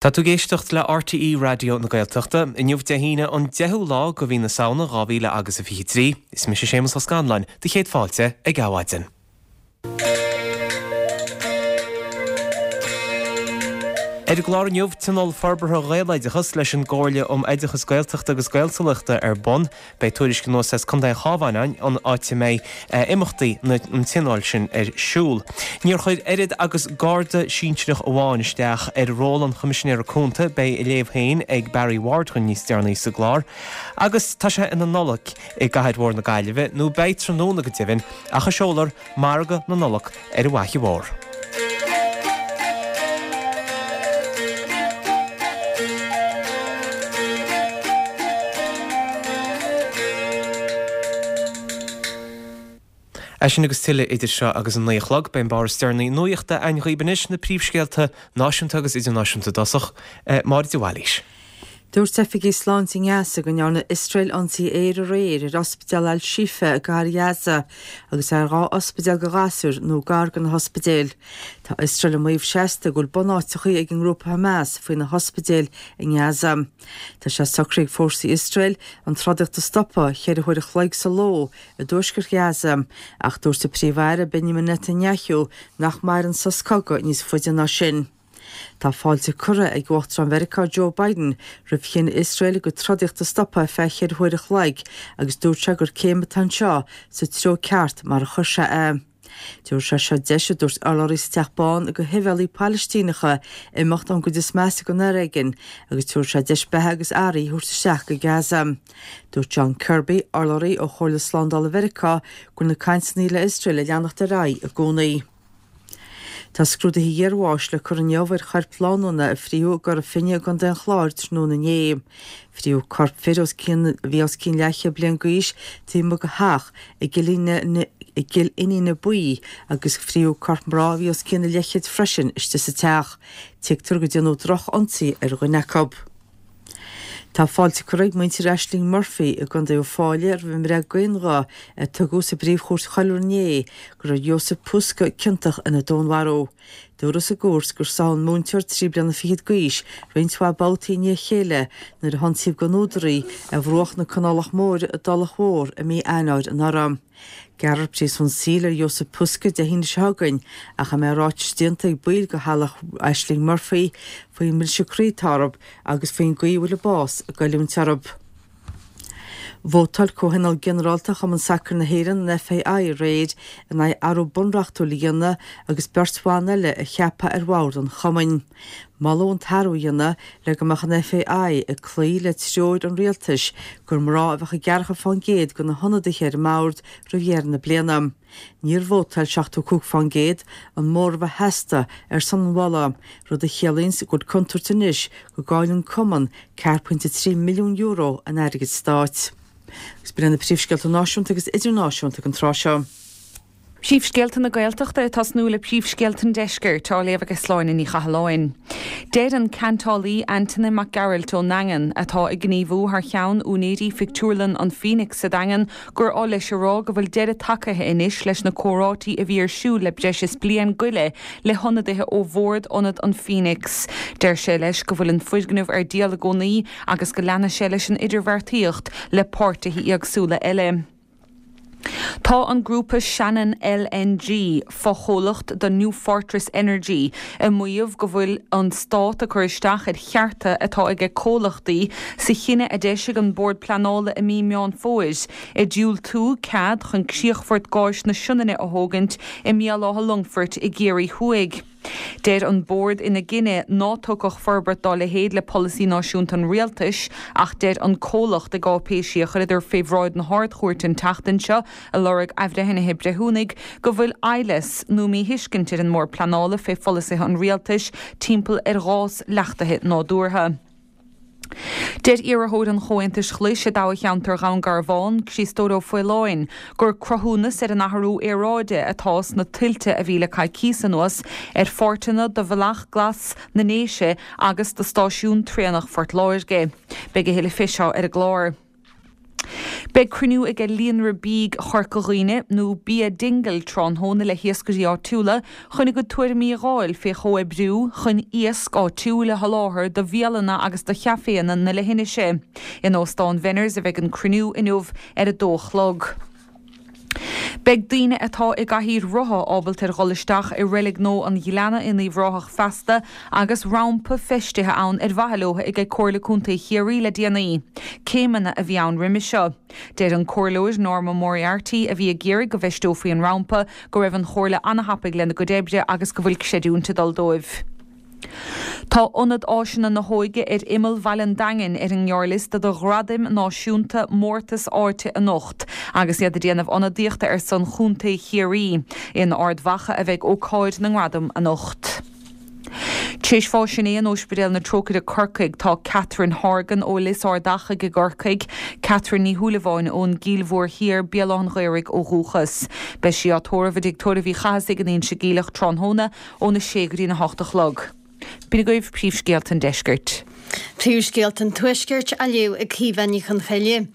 Tá tú ag éisteacht le RTÉ Raidió na Gaeltachta. Inniu Dé hAoine an 10ú lá de mhí na Samhna 2000 agus a 23. Is mise Séamus Ó Scanláin, do chéad fáilte ag Adhmhaidin. Ar an gclár inniu, Tionól Forbartha Ghaeloideachas leis an gComhairle um Oideachas Gaeltachta agus Gaeltalachta ar bun. Beidh tuairisc anuas as Contae an Chabháin againn, an áit a mbeidh imeachtaí an tionóil sin ar siúl. Níor chuir oiread agus garda sinsearach amháin isteach ar ról an Choimisinéara Cúnta, beidh a léamh féin ag Barry Ward dhúinn níos deireanaí sa gclár. Agus tá sé ina Nollaig i gcathair mhór na Gaillimhe, nó beidh tráthnóna go deimhin, ach a seolfar Margadh na Nollag ar an bhFaiche Mhór. É sin agus tuilleadh idir seo agus an 9 a chlog. Beidh an barr is deireanaí nuachta againn dhaoibh anois, na príomhscéalta náisiúnta agus idirnáisiúnta i dtosach. Máire de Bhailís. Dúirt oifigigh sláinte i nGaza go ndearna Iosrael ionsaí aeir aréir ar ospidéal Al-Shifa i gcathair Ghaza agus ar 2 ospidéal do ghasúir nó gar do na hospidéil. Tá Iosrael ag maíomh seasta go bhfuil bunáiteachaí ag an ngrúpa Hamas faoi na hospidéil i nGaza. Tá sé socraithe ag fórsaí Iosrael an trodaíocht a stopadh cheithre huair a chloig sa ló i dtuaisceart Ghaza ach dúirt an Príomh-Aire Benjamin Netanyahu nach mairfidh an sos cogaidh níos faide ná sin. Tá fáilte curtha ag Uachtarán Mheiriceá Joe Biden roimh chinneadh Iosrael a gcuid trodaíochta a stopadh ar feadh cheithre huaire a chloig agus dúirt sé gur céim atá anseo sa treo ceart mar a chuir sé é. Tabharfaidh sé seo deis, a dúirt urlabhraí sa Teach Bán, do shibhialaigh Phalaistíneacha imeacht ón gcuid is measa den fhoréigean agus tabharfaidh sé deis beatha agus earraí a thabhairt isteach go Gaza. Dúirt John Kirby, urlabhraí ó Chomhairle Slándála Mheiriceá, go bhfuil na cainteanna le Iosrael ag leanacht ar aghaidh i gcónaí. Tá scrúduithe iarbháis le cur inniu ar choirp lánúna a frítheadh i gCora Finne i gContae an Chláir tráthnóna inné. Frítheadh corp fir os cionn a bhí os cionn leathchéad bliain d'aois taobh amuigh de theach i gCill Iníne Buí agus frítheadh corp mná a bhí os cionn an leathchéid freisin istigh sa teach. Tuigtear go déanadh droch-ionsaí ar dhuine acu. Tá fáilte curtha ag muintir Ashling Murphy i gContae Uíbh Fhailí roimh an mbreith d'aon ghuth a tugadh sa bPríomh-Chúirt Choiriúil inné go raibh Jozef Puska ciontach ina dúnmharú. Dúradh sa gcúirt gur sádh an múinteoir 3 bliana fichead d'aois roinnt mhaith babhtaí i ndiaidh a chéile nuair a hionsaíodh gan údar í ar bhruach na Canálach Móire i dTulach Mhór i mí Eanáir anuraidh. Gearrfar príosún saoil ar Jozef Puska Dé hAoine seo chugainn ach a mbeidh ráitis déanta ag baill de theaghlach Ashling Murphy faoin mbriseadh croí atá orthu agus faoin gcaoi a bhfuil a bás ag goilliúint orthu. Vótáil Comhthionól Ginearálta Chumann Sacair na hÉireann, an FAI, aréir in aghaidh athrú bunreachtúil a dhéanamh agus beirt bhan eile a cheapadh ar bhord an chumainn. Moladh an t-athrú a dhéanamh le go mbeadh an FAI ag cloí le treoir an rialtais gur mná a bheadh i gceathracha fán gcéad de na hionadaithe ar an mbord roimh dheireadh na bliana. Níor vótáil 75%, an móramh a theastaigh, ar son an mholadh, rud a chiallaíonns go bhfuil contúirt anois go gcaillfidh an cumann €4.3 milliún in airgead stáit. Agus b'in iad na príomhscéalta náisiúnta agus idirnáisiúnta ag an tráth seo. Príomhscéalta na Gaeltachta ag tosnú le príomhscéalta an Deiscirt, á léamh ag Sláine Ní Chathalláin. Deir an ceantálaí Antaine Mac Gearailt ón nDaingean, atá ag gníomhú thar cheann úinéirí phictiúrlann an Phoenix sa Daingean, gur oth leis a rá go bhfuil deireadh tagaithe anois leis na comhráití a bhí ar siúl le breis is bliain go leith le hionadaithe ó bhord Ionad an Phoenix. Deir sé leis go bhfuil an foirgneamh ar díol i gcónaí agus go leanfaidh sé leis an idirbheartaíocht le páirtithe éagsúla eile. Tá an grúpa Shannon LNG, fochomhlacht do New Fortress Energy, ag maíomh go bhfuil an Stát ag cur isteach ar chearta atá aige comhlachtaí sa chinneadh a d'eisigh an Bord Pleanála i mí Meán Fómhair ag diúltú cead chun críochfort gáis na Sionainne a thógaint i mBéal Átha Longfoirt i gCiarraí Thuaidh. Deir an Bord ina gcinneadh ná tiocfadh forbairt dá leithéid le polasaí náisiúnta an Rialtais ach deir an comhlacht i gcáipéisí a chuireadar fé bhráid na hArd-Chúirte an tseachtain seo ag lorg athbhreithnithe breithiúnaigh go bhfuil aimhleas nó míthuiscint ar an mBord Pleanála fé pholasaithe an Rialtais timpeall ar ghás leachtaithe nádúrtha. Deir iarrthóir an Chomhaontais Ghlais i dtoghcheantar Dhún Garbhán, Criostóir Ó Faoláin, gur cruthúnas ar an athrú aeráide atá sna tuilte a bhí le coicíos anuas ar pháirteanna de Bhealach Glas na nDéise agus de stáisiún traenach Phort Láirge. Beidh a thuilleadh fé seo ar an gclár. Beidh cruinniú ag Líonra Bídh Chorca Dhuibhne, nó Bia Dingle, tráthnóna le hiascairí áitiúla chun a gcuid tuairimí a dh'fháil fé chomhoibriú chun iasc áitiúil a sholáthar do bhialanna agus do chaiféanna na leithinise. In Óstán Venners a bheidh an cruinniú inniu ar a dó a chlog. Beidh daoine atá i gcathaoir rotha ábalta ar dhul isteach i Reilig Nua an Ghleanna in Uíbh Ráthach feasta agus rampa feistithe ann ar mhaithe leo ag Comhairle Contae Chiarraí le déanaí. Céimeanna a bhí ann roimhe seo. Deir an Comhairleoir Norma Moriarty, a bhí ag iarraidh go bhfeisteofaí an rampa, go raibh an Chomhairle an-thapaidh lena gcuid oibre agus go bhfuil creidiúint ag dul dóibh. Tá Ionad Áiseanna na hÓige ar imeall Bhaile an Daingin ar an ngearrliosta do Ghradaim Náisiúnta Mórtas Áite anocht agus iad ag déanamh ionadaíochta ar son Chontae Chiarraí. In Ard Mhacha a bheidh ócáid na ngradam anocht. Tar éis bháis inné in Ospidéal na Trócaire Corcaigh tá Catherine Horgan ó Lios Ard Achaidh i gCorcaigh, Catherine Ní Shúilleabháin ón gCill Mhór Thiar, Béal Átha'n Ghaorthaidh ó dhúchas. Beidh sí á tórramh i dTigh Tórraimh Uí Chathasaigh in Inse Geimhleach tráthnóna óna sé go dtí'n 8 a chlog. B'in agaibh príomhscéalta an deiscirt. Príomhscéalta an Tuaiscirt á léamh ag Caoimhe Ní Chonchoille.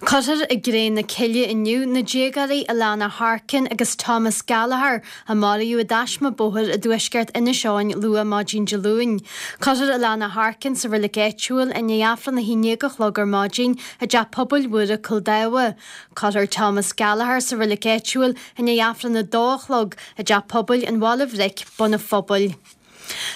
Cuirfear i gcré na cille inniu na déagóirí Alana Harkin agus Thomas Gallagher a maraíodh i dtaisme bóthair i dtuaisceart Inis Eoghain luath maidin Dé Luain. Cuirfear Alana Harkin sa reilig áitiúil i ndiaidh Aifreann a haon déag a chlog ar maidin i dTeach Pobail Mhuire Cúil Dámha. Cuirfear Thomas Gallagher sa reilig áitiúil i ndiaidh Aifreann a dó a chlog i dTeach Pobail an Bhaile Bhric, Bun an Phobail.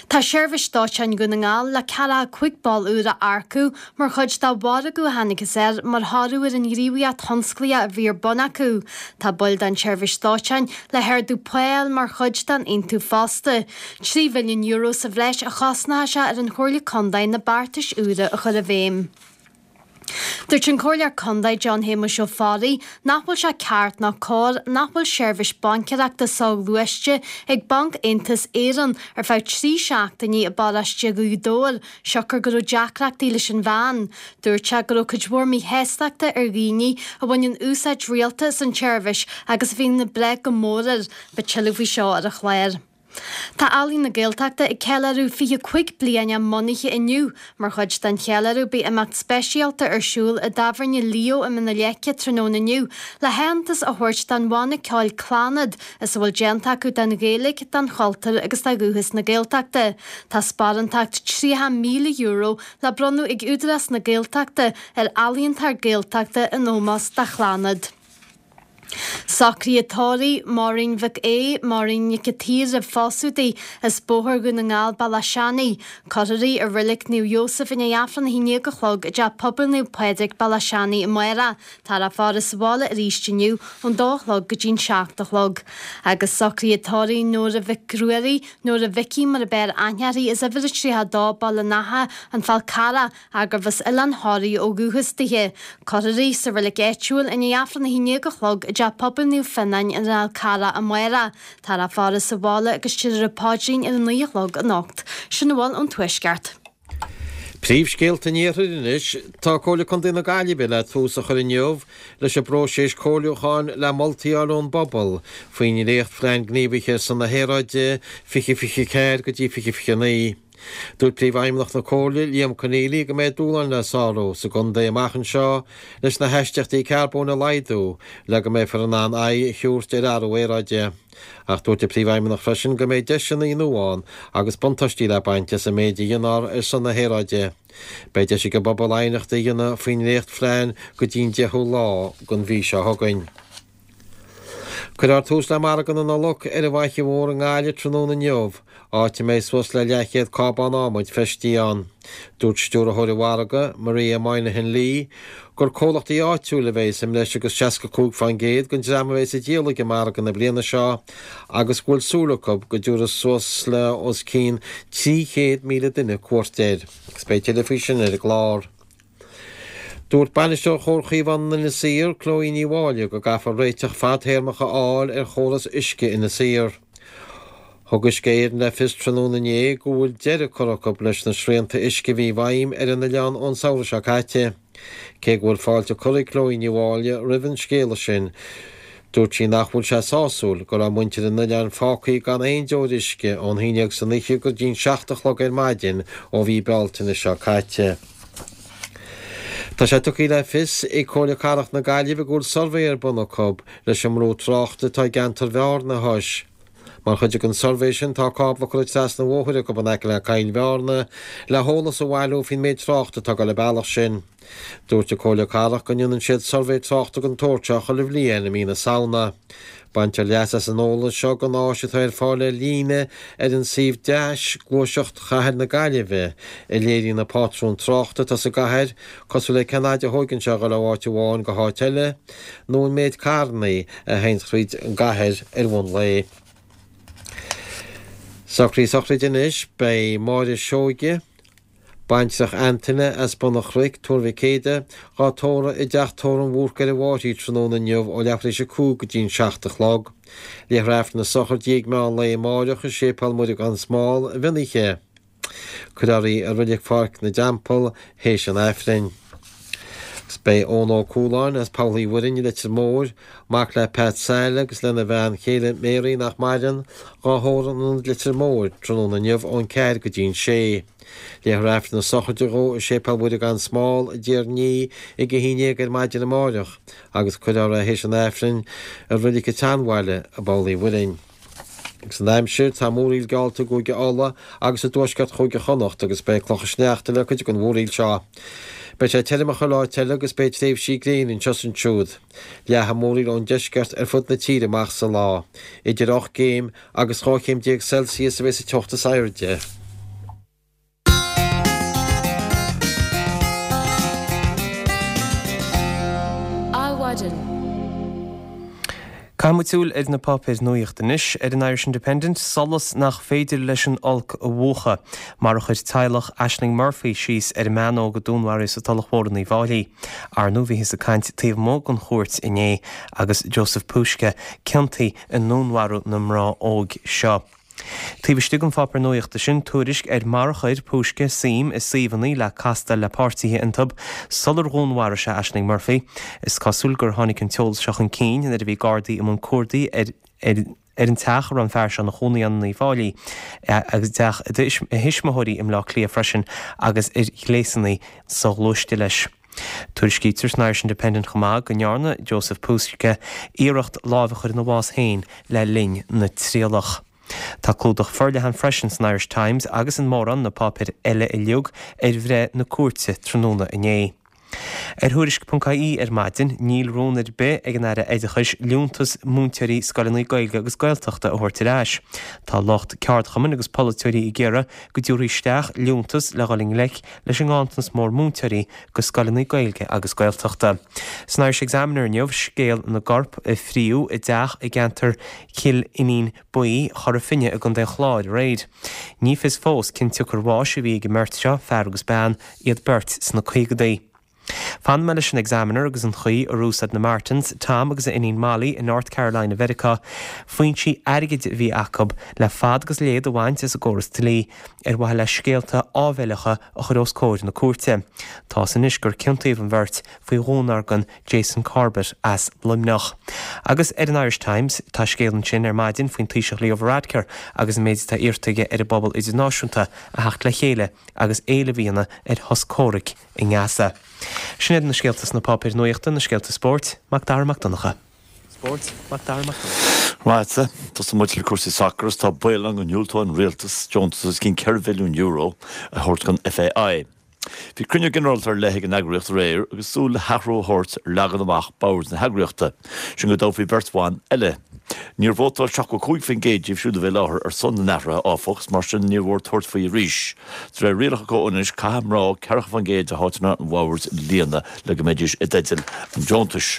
Tá Seirbhís Dóiteáin Dhún na nGall le 45 ball úr a earcú mar chuid de mhargadh a thángthas air mar thoradh ar an ghníomhaíocht thionsclaíoch a bhí ar bun acu. Tá baill den tSeirbhís Dóiteáin le hardú pá a fháil mar chuid den aontú fosta. €3 mhilliún sa bhreis a chosnóidh sé ar an Chomhairle Contae na beartais úra a chur i bhfeidhm. Dúirt an Comhairleoir Contae John Shéamuis Ó Fearraigh nach bhfuil sé ceart ná cóir nach bhfuil seirbhís baincéireachta soghluaiste ag Banc Aontas Éireann ar feadh 3 seachtainí i bparóiste Ghaoth Dobhair siocair go raibh deacrachtaí leis an mheán. Dúirt sé go raibh cuid mhór míshástachta ar dhaoine a bhaineann úsáid rialta as an tseirbhís agus a bhíonn ag brath go mór air. Beidh tuilleadh faoi seo ar an chlár. Tá Ealaín na Gaeltachta ag ceiliúradh 25 bliain a mbunaithe inniu. Mar chuid den cheiliúradh beidh imeacht speisialta ar siúl i dTábhairne Leo i mBinn na Leice tráthnóna inniu le haitheantas a thabhairt don bhanna ceoil Clannad is a bhfuil déanta acu don Ghaeilge, don chultúr agus do dhúchas na Gaeltachta. Tá sparántacht €30,000 le bronnadh ag Údarás na Gaeltachta ar ealaíontóir Gaeltachta in ómós do Chlannad. Socruithe tórraimh, Máirín Mhic Aoidh, Máirín Nic an tSaoir roimh phósadh di, as Bóthar Dhún na nGall, Bealach Seanaidh. Cuirfear í i Reilig Naomh Iósaf i ndiaidh Aifreann 11 a chlog i dTeach Pobail Naomh Pádraig, Bealach Seanaidh amárach. Táthar á faire sa bhaile arís inniu ón dó a chlog go dtí'n 7 a chlog. Agus socruithe tórraimh Nóra Mhic Ruairí, Nóra Mhicí mar a b'fhearr aithne uirthi, as uimhir a 32, Baile an Átha, An Fál Carrach, gurbh as Oileán Thoraí ó dhúchas dithe. Cuirfear í sa reilig áitiúil i ndiaidh Aifreann 11 a chlog i dTeach Pobail Naomh Fionnáin ar an Fhál Carrach amárach. Táthar á faire sa bhaile agus déarfar an paidrín ar a 9 a chlog anocht. Sin a bhfuil ón Tuaisceart. Príomhscéalta an Iarthair anois. Tá Comhairle Contae na Gaillimhe le tús a chur inniu leis an bpróiseas comhairliúcháin le moltaí a fháil ón bpobal faoin ndréachtphlean gníomhaithe ar son na haeráide 2024 go dtí 2029. Dúirt Príomhfheidhmeannach na Comhairle, Liam Conneely, go mbeidh dúshláin le sárú sa gcontae amach anseo leis na haistíochtaí carbóin a laghdú le go mbeifear in ann aghaidh a thabhairt ar athrú aeráide. Ach dúirt an Príomhfheidhmeannach freisin go mbeidh deiseanna nua ann agus buntáistí le baint as an méid a dhéanfar ar son na haeráide. Beidh deis ag an bpobal aighneachtaí a dhéanamh faoin ndréachtphlean go dtí'n 10ú lá den mhí seo chugainn. Cuirfear tús le margadh na Nollag ar an bhFaiche Mhór i nGaillimh tráthnóna inniu, áit a mbeidh suas le leathchéad cábán adhmaid feistithe ann. Dúirt stiúrthóir an mhargaidh, Maria Moynihan Lee, gur comhlachtaí áitiúil a bheidh i mbreis agus 65% den dream a bheidh ag díol ag an margadh na bliana seo agus go bhfuil súil acu go dtabharfaidh suas le os cionn 300,000 duine cuairt air. Agus beidh tuilleadh faoi sin ar an gclár. Dúirt Bainisteoir Chomhar Chaomhán Inis Oírr, Chloe Ní Mháille, go gcaithfear réiteach fadtéarmach a fháil ar chóras uisce Inis Oírr. Thug Uisce Éireann le fios tráthnóna inné go bhfuil deireadh curtha acu leis na srianta uisce a bhí i bhfeidhm ar an oileán ón samhradh seo caite. Cé go bhfuil fáilte curtha ag Chloe Ní Mháille roimh an scéala sin, Dúirt sí nach bhfuil sé sásúil go raibh muintir an oileáin fágtha gan aon deoir uisce ón haon déag san oíche go dtí'n seacht a chlog ar maidin ó mhí Bealtaine seo caite. Tá sé tugtha le fios ag Comhairle Cathrach na Gaillimhe go bhfuil suirbhé ar bun acu leis an mbrú tráchta atá i gceantar Bhearna a thomhas. Mar chuid den suirbhé sin tá cábla curtha trasna an bhóthair acu in aice le Coill Bhearna le heolas a bhailiú faoin méid tráchta atá ag dul an bealach sin. Dúirt an Comhairle Cathrach go ndéanann siad suirbhé tráchta den tsórt seo chuile bhliain i mí na Samhna. Baintear leas as an eolas seo den áis atá ar fáil ar líne ar an suíomh Deais, Gluaiseacht Chathair na Gaillimhe, a léiríonn na pátrúin tráchta atá sa gcathair, cosúil le cén fhaid a thóigeann sé a dhul ó áit amháin go háit eile, nó an méid carranna a théann thríd an gcathair ar bhonn lae. Socruithe sochraide anois, beidh Máire Seoige, Baintreach Antaine as Bun an Chnoic, Tuar Mhic Éadaigh, dhá tórramh i dteach tórraimh an Bhúrcaigh ar an bhFairche tráthnóna inniu ó leathuair tar éis a 5 go dtí'n 7 a chlog. Léifear Aifreann na sochraide ag meán lae amáireach i Séipéal Muire gan Smál, i Mhionnaithe. Cuirfear í i Reilig Pháirc na dTeampall théis an Aifrinn. Agus beidh Eoin Ó Cualáin as Poll Uí Mhuirinn i Leitir Móir, mac le Pat Saile agus lena bhean chéile Mary nach maireann, dhá thórramh in Ionad Leitir Móir tráthnóna inniu ón 4 go dtí'n 6. Léifear Aifreann na sochraide dhó i Séipéal Mhuire gan Smál i dTír an Fhia ag 11 ar maidin amáireach agus cuirfear é théis an Aifrinn i Reilig an tSeanbhaile i bPoll Uí Mhuirinn. Agus an aimsir, tá múraíl geallta i gCúige Uladh agus i dtuaisceart Chúige Chonnacht agus beidh clocha sneachta le cuid den mhúraíl seo. Beidh sé tirim i chuile áit eile agus beidh tréimhsí gréine anseo is ansiúd. Leathfaidh an mhúraíl ón deisceart ar fud na tíre amach sa lá. Idir 8 gcéim agus 12 chéim Celsius a bheidh sa teocht is airde. Adhmhaidin. Caithfidh muid súil ar na páipéir nuaíochta anois. Ar an Irish Independent, solas nach féidir leis an olc a mhúchadh, mar a chuir teaghlach Ashling Murphy síos ar an mbean óg a dúnmharaíodh sa Tulach Mhór in Uíbh Fháilí. Ar ndóigh bhíothas ag caint taobh amuigh den chúirt inné agus Joseph Puska ciontaithe i ndúnmharú na mná óige seo. Taobh istigh den pháipéar nuaíochta sin, tuairisc ar mar a chuir Puska suim i suíomhanna le castáil le páirtithe iontu sular dhúnmharaigh sé Ashling Murphy. Is cosúil gur tháinig an t-eolas seo chun cinn nuair a bhí Gardaí i mbun cuardaigh ar ar an teach a raibh an fear seo ina chónaí ann in Uíbh Fháilí agus i dteach a thuismitheoirí i mBleá Cliath freisin agus ar ghléasanna soghluaiste leis. Tuairiscítear san Irish Independent chomh maith go ndearna Joseph Puska iarracht lámh a chur ina bhás féin le linn na trialach. Tá clúdach forleathan freisin san Irish Times agus in mórán na páipéir eile uilig ar bhreith na cúirte tráthnóna inné. Ar Thuairisc.ie ar maidin, níl rún ar bith ag an Aire Oideachais liúntas múinteoirí scoileanna Gaeilge agus Gaeltachta a thabhairt ar ais. Tá lucht ceardchumainn agus polaiteoirí ag iarraidh go dtabharfaí isteach liúntas le dhul i ngleic leis an nganntanas mór múinteoirí go scoileanna Gaeilge agus Gaeltachta. San Irish Examiner inniu, scéal na gcorp a fríodh i dteach i gceantar Chill Fhínín Buí, Chora Finne i gContae an Chláir aréir. Ní fios fós cén tsiocair bháis a bhí ag an mbeirt seo, fear agus bean, iad beirt sna caogadaí. Fanfaidh mé leis an Examiner agus an chaoi ar úsáid na Martins, Tom agus a iníon Molly i North Carolina Mheiriceá, foinsí airgid a bhí acu le fad agus léad a bhaint as an gcóras dlí ar mhaithe le scéalta áibhéileacha a chur os comhair na cúirte. Tá's anois gur ciontaíodh an bheirt faoi dhúnmhargan Jason Corbett as Luimneach. Agus ar an Irish Times, tá scéal ansin ar maidin faoin Taoiseach Leo Varadkar agus an méid atá iarrta aige ar an bpobal idirnáisiúnta a theacht le chéile agus éileamh a dhéanamh ar shos comhraic i nGaza. Sin iad na scéalta sna páipéir nuaíochta, na scéalta spóirt, Mac Dara Mac Donncha. Spóirt, Mac Dara Mac Donncha. Right, tosóidh muid le cúrsaí sacair agus tá baol ann go ndiúltóidh an rialtas deontas os cionn €4 mhilliún a thabhairt don FAI. Bhí cruinniú ginearálta ar leith ag an eagraíocht aréir agus súil le hathrú a thabhairt ar leagan amach bord na heagraíochta, sin go dtoghfaí beirt bhan eile. Níor vótáil 75% díobh siúd a bhí i láthair ar son na n-athruithe, áfach, is mar sin níor mhór tabhairt faoi arís. De réir rialacha comhionannais, caithfidh mná 40% de háiteanna an bhoird a líonadh le go mbeidís i dteideal an deontais.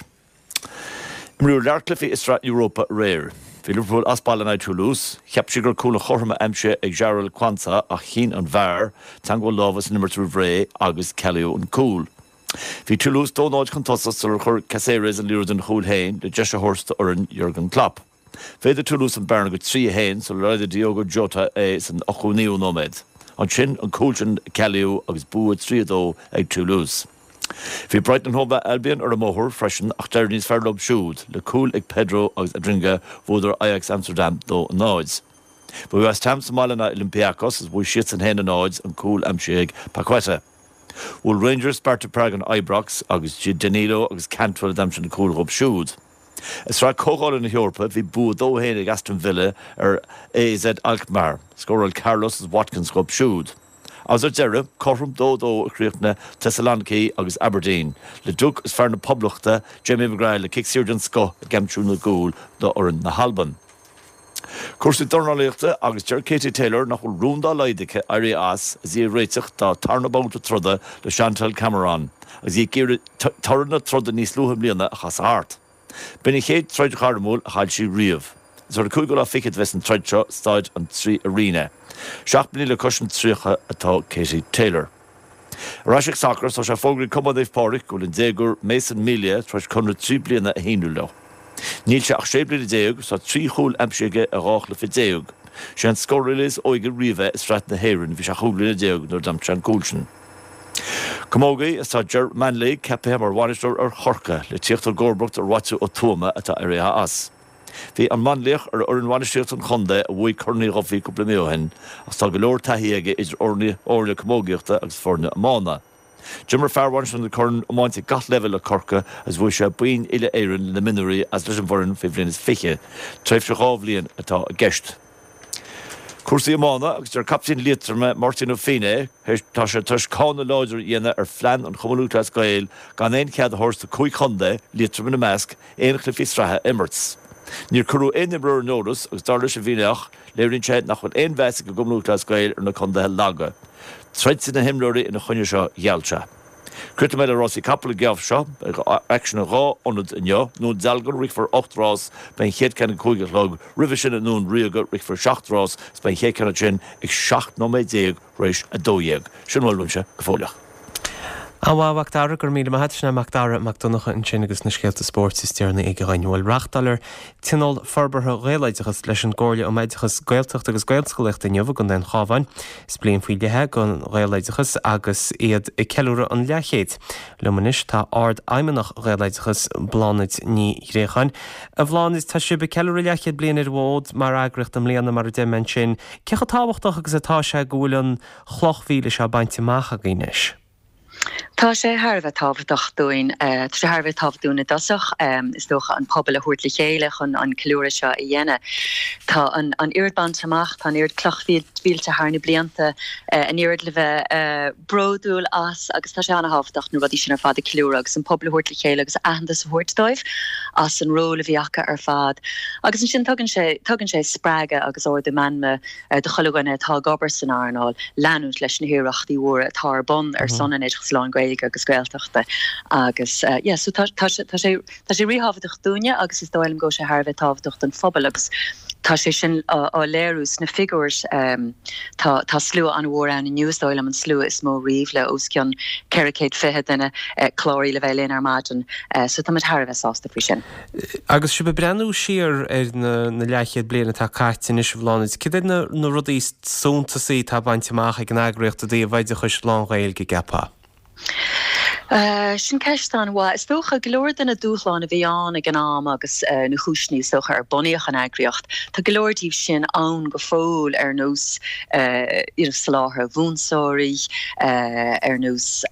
Imríodh lear cluichí i Sraith Europa aréir. Bhí Liverpool as baile in aghaidh Toulouse. Cheap siad go raibh cúl an chothroime aimsithe ag Jarell Quansah ach chinn an VAR, teagmháil láimhe san imirt roimh ré, agus cealaíodh an cúl. Bhí Toulouse 2-0 chun tosaigh sular chuir Caceres an liathróid ina chúl féin le deis a thabhairt d'fhoireann Jurgen Klopp. Mhéadaigh Toulouse an bearna go 3-1 sular laghdaigh Diogo Jota é san 89ú nóiméad. Ansin, an cúl sin a cealaíodh agus bua 3-2 ag Toulouse. Bhí Brighton and Hove Albion ar an mbóthar freisin ach d'éirigh níos fearr leo siúd, le cúil ag Pedro agus Adingra bhuadar Ajax Amsterdam 2-0. Bhí West Ham sa mbaile in aghaidh Olympiakos agus bhuaigh siadsan 1-0, an cúl aimsithe ag Paqueta. Bhuail Rangers, Sparta Prague and Ibrox agus Danilo agus Cantwell a d'aimsigh na cúil dhóibh siúd. I Sraith Comhdhála na hEorpa, bhí bua 2-1 ag Aston Villa ar AZ Alkmaar. Scóráil Carlos agus Watkins dhóibh siúd. Agus ar deireadh, cothrom 2-2 a chríochnaigh Thessaloniki agus Aberdeen, Leduc agus fear na Poblachta, Jamie McGrath le cic saor den scoth ag aimsiú na gcúl d'fhoireann na hAlban. Cúrsaí dornálaíochta agus deir Katie Taylor nach bhfuil rún dá laghad aici éirí as agus í ag réiteach dá tarna babhta troda le Chantelle Cameron agus í ag iarraidh toradh na troda níos luaithe i mbliana a chasadh thart. B'in an chéad troid ghairmiúil a chaill sí riamh. Is ar an cúigiú lá fichead a bheas an troid seo, Staid an Three Arena. 7 mbliana le cois an 30 atá Katie Taylor. Ar ais ag sacar, tá sé fógraithe ag Cumann Naomh Pádraig go bhfuil an déagóir Mason Melia tar éis conradh 3 bliana a shíniú leo. Níl sé ach 16 bliana agus tá 3 chúl aimsithe aige i 12 chluiche. Sé an scórálaí is óige riamh é i Sraith na hÉireann, bhí sé 15 bliana nuair a d'aimsigh sé an cúl sin. Camógaí, is tá Ger Manley ceaptha mar bhainisteoir ar Chorcaigh le tíocht i gcomharbacht ar Mhaitiú Ó Tuama atá éirithe as. Bhí an Mainlíoch ar fhoireann bhainistíochta an chontae a bhuaigh Corn Uí Dhufaigh cúpla mí ó shin agus tá go leor taithí aige idir fhoirne camógaíochta agus foirne iomána. D'imir fear Mhainistir na Corann iomáint ag gach leibhéal le Corcaigh agus bhuaigh sé boinn uile-Éireann le na mionúirí agus leis an bhfoireann faoi bhliain is fiche. Tréimhse dhá bhliain atá i gceist. Cúrsaí iomána agus deir captaen Liatroma, Máirtín Ó Feinneadha, tá sé tar éis cáineadh láidir a dhéanamh ar phlean an Chumann Lúthchleas Gael gan aon chead a thabhairt do chúig chontae, Liatroim ina measc, aon chluichí sraithe a imirt. Níor cuireadh aon imreoir ar an eolas agus dar leis an bhFinnéach, léiríonn sé nach bhfuil aon mheas ag an gCumann Lúthchleas Gael ar na contaetha laga. Troidfidh na himreoirí ina choinne seo, gheall sé. Críochnóidh mé le rásaí capall an geábh seo. Beidh aicsean i dhá ionad inniu. I nDún Dealgan rithfear 8 rás, beidh an chéad ceann ag 5 a chlog. Roimhe sin i nDún Ríoga rithfear 7 rás is beidh an chéad ceann ansin ag 17 nóiméad tar éis 12. Sin a bhfuil uaimse go fóilleach. An-mhaith, a Mhac Dara, go raibh míle maith agat. Sin é Mac Dara Mac Donncha ansin agus na scéalta spóirt is deireanaí aige dhuinn. Bhuel, reáchtáiltear Tionól Forbartha Ghaeloideachas leis an gComhairle um Oideachas Gaeltachta agus Gaelscolaíochta inniu i gContae an Chabháin. Is bliain faoi leith é don Ghaeloideachas agus iad ag ceiliúradh an leathchéid. Liom anois tá Ard-Fheidhmeannach Ghaeloideachas, Bláthnaid Ní Ghréacháin. A Bhláthnaid, tá sibh ag ceiliúradh leathchéad bliain ar an bhfód mar eagraíocht i mbliana, mar a deir mé ansin. Cé chomh tábhachtach agus atá sé go bhfuil an chloch mhíle seo bainte amach agaibh anois? Tá sé thar a bheith tábhachtach dúinn. Tá sé thar a bheith tábhachtach dúinn i dtosach, is dócha, an pobal a thabhairt le chéile chun an ceiliúradh seo a dhéanamh. Tá an oiread bainte amach, tá an oiread cloch mhílte thar na blianta, an oiread le bheith bródúil as agus tá sé an-tábhachtach na rudaí sin ar fad a cheiliúradh agus an pobal a thabhairt le chéile agus aitheantas a thabhairt dóibh as an ról a bhí acu ar fad. Agus ansin tugann sé, tugann sé spreagadh agus ardú meanma do chuile dhuine atá ag obair san earnáil leanúint leis na hiarrachtaí mhóra atá ar bun ar son an oideachais lán-Ghaeilge agus Gaeltachta agus yeah so tá tá sé tá sé tá sé ríthábhachtach dúinne agus is dóigh liom go bhfuil sé thar a bheith tábhachtach don phobal agus tá sé sin á léiriú sna figiúir tá tá slua an-mhór ann inniu is dóigh liom an slua is mó riamh le os cionn 420 duine cláraithe le bheith linn ar maidin so táimid thar a bheith sásta faoi sin. Agus sibh ag breathnú siar ar na leathchéad bliain atá caite anois, a Bhláthnaid, cad iad na rudaí is suntasaí atá bainte amach ag an eagraíocht i dtaobh oideachais lán-Ghaeilge, an gceapfá? Sin ceist an-mhaith. Is dócha, go leor de na dúshláin a bhí ann ag an am agus na cúiseanna is dócha ar bunaíodh an eagraíocht, tá go leor díobh sin ann go fóill ar nós you know soláthar mhúinteoirí, ar nós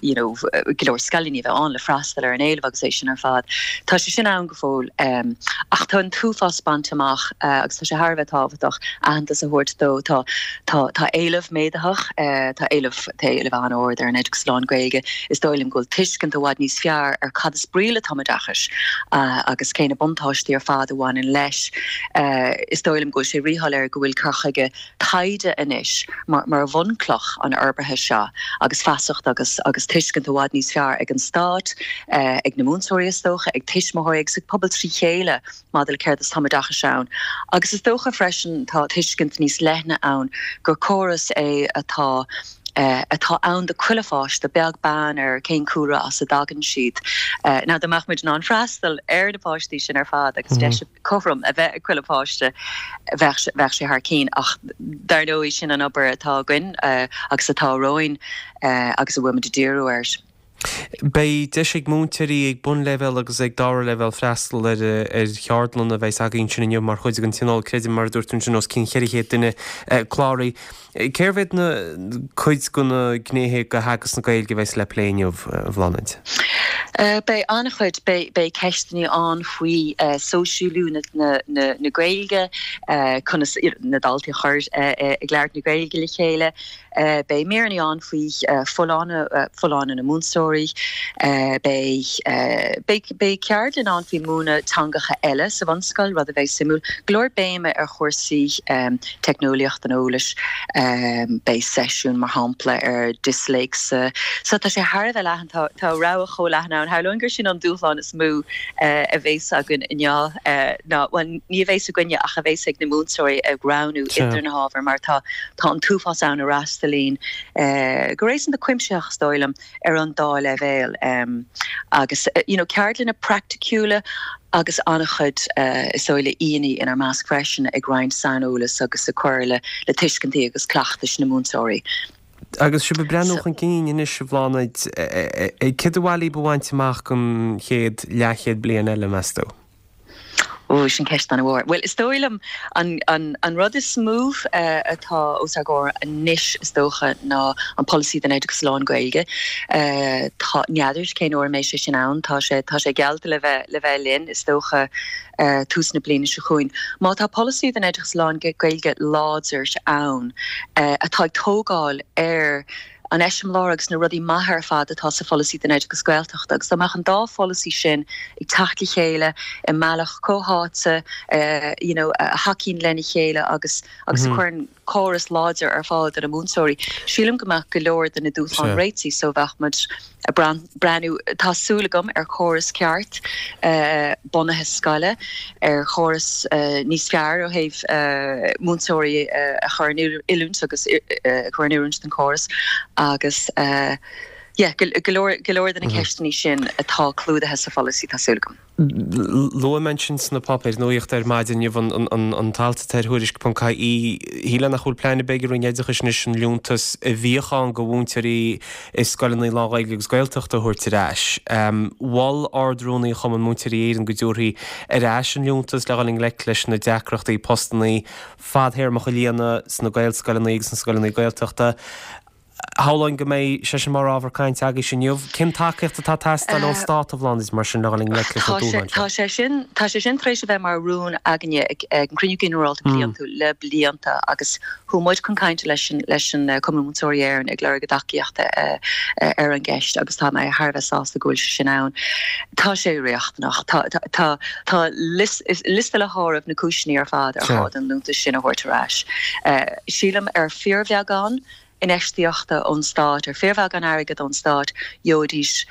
you know go leor scoileanna a bheith ann le freastal ar an éileamh agus é sin ar fad. Tá sé sin ann go fóill. Ach tá an t-uafás bainte amach agus tá sé thar a bheith tábhachtach aitheantas a thabhairt dó. Tá tá tá éileamh méadaitheach, tá éileamh tá éileamh an-ard ar an oideachas lán-Ghaeilge. Is dóigh liom go bhfuil tuiscint i bhfad níos fearr ar cad is brí le tumoideachas agus cé na buntáistí ar fad a bhaineann leis. Is dóigh liom go bhfuil sé ríshoiléir go bhfuil cur chuige taighde anois mar bhunchloch an fhorbartha seo agus feasacht agus agus tuiscint i bhfad níos fearr ag an stát, ag na múinteoirí is dócha, ag tuismitheoirí agus ag pobal trí chéile maidir le céard is tumoideachas ann. Agus is dócha freisin tá tuiscint níos leithne ann gur córas é atá atá ann do chuile pháiste, beag beann ar cén cúlra as a dtagann siad. Now dá mbeadh muid in ann freastal ar na páistí sin ar fad agus deis cothrom a bheith ag chuile pháiste, bheadh bheadh sé thar cinn. Ach dar ndóigh sin an obair atá againn agus atá romhainn agus a bhfuil muid ag díriú air. Beidh deis ag múinteoirí ag bunleibhéal agus ag dara leibhéal freastal ar ar cheardlanna a bheas agaibh ansin inniu mar chuid den tionól, creidim, mar a dúirt tú ansin, os cionn 400 duine cláraithe. Cérbh iad na cuid de na gnéithe de theagasc na Gaeilge a bheas le plé inniu, a Bhláthnaid? Beidh an-chuid, beidh ceisteanna ann faoi sóisialú na Gaeilge, conas na daltaí a chur ag labhairt na Gaeilge le chéile, Beidh míreanna ann faoi folláine, folláine na múinteoirí. Beidh, beidh, beidh ceardlann ann faoi múineadh teangacha eile sa bhunscoil, rud a bheidh suimiúil. Go leor béime ar chúrsaí teicneolaíocht an eolais. Beidh seisiún, mar shampla, ar disléicse. So tá sé thar a bheith leathan, tá, tá rogha chomh leathan ann. Shamhlóinn gur sin an dúshlán is mó a bhéas againn inniu ná, bhuel, ní a bhéas againne ach a bhéas ag na múinteoirí ag roghnú idir na hábhair mar tá, Tá an t-uafás ann a fhreastalaíonn go réasúnta cuimsitheach, is dóigh liom, ar an dá leibhéal agus you know ceardlanna praiticiúla agus an-chuid is dóigh le aíonna inár measc freisin ag roinnt saineolas agus ag cur le tuiscintí agus cleachtais na múinteoirí. Agus sibh ag breathnú chun cinn anois, a Bhláthnaid, céard ba mhaith libh a bhaint amach don chéad leathchéad bliain eile, meas tú? Ó, sin ceist an-mhór. Bhuel, is dóigh liom an, an, an rud is mó atá os ár gcomhair anois, is dócha, ná an polasaí don oideachas lán-Ghaeilge. Tá, n'fheadar cén uair a mbeidh sé sin ann. Tá sé, tá sé geallta le bheith, le bheith linn, is dócha, tús na bliana seo chugainn. Má tá polasaí don oideachas lán-Ghaeilge láidir ann, atá ag tógáil ar, an eiseamláir agus na rudaí maithe ar fad atá sa pholasaí don oideachas Gaeltachta agus dá mbeadh an dá pholasaí sin ag teacht le chéile i mbealach comhtháite you know a thacaíonn lena chéile agus agus a chuireann córas láidir ar fáil do na múinteoirí, sílim go mbeadh go leor de na dúshláin réitithe so bheadh muid ag breathnú, tá súil agam, ar chóras ceart bunaithe scoile, ar chóras níos fearr ó thaobh múinteoirí a chur in oiliúint agus a chur in oiriúint don chóras agus yeah, go leor, go leor de na ceisteanna sin atá clúdaithe sa pholasaí, tá súil agam. Luaigh mé ansin sna páipéir nuachta ar maidin inniu an t-alt atá ar Thuairisc ponc ie, shílfeá nach bhfuil plean ar bith ag an Roinn Oideachais anois an liúntas a bhíodh ann do mhúinteoirí i scoileanna lán-Ghaeilge agus Gaeltachta a thabhairt ar ais. Mhol Ard-Rúnaí Chumann Múinteoirí Éireann go dtabharfaí ar ais an liúntas le dhul i ngleic leis na deacrachtaí postanna fadthéarmacha a líonadh sna Gaelscoileanna agus sna scoileanna Gaeltachta. Shamhlóinn go mbeidh sé sin mar ábhar cainte agaibhse inniu. Cén tacaíocht atá ag teastáil ón Stát, a Bhláthnaid, mar sin le dhul i ngleic leis na dúshláin seo? Tá sé sin, tá sé sin tar éis a bheith mar rún againne ag an gCruinniú Ginearálta Bliantúil le blianta agus chuaigh muid chun cainte leis an, leis an Cumann Múinteoirí Éireann ag lorg a dtacaíochta ar an gceist agus tá mé thar a bheith sásta go bhfuil sé sin ann. Tá sé riachtanach. Tá, tá, tá liosta le háireamh na cúiseanna ar fad ar ghá don liúntas sin a thabhairt ar ais. Sílim ar fíorbheagán infheistíochta ón stát, ar fíorbheagán airgid ón stát, gheobhaidís,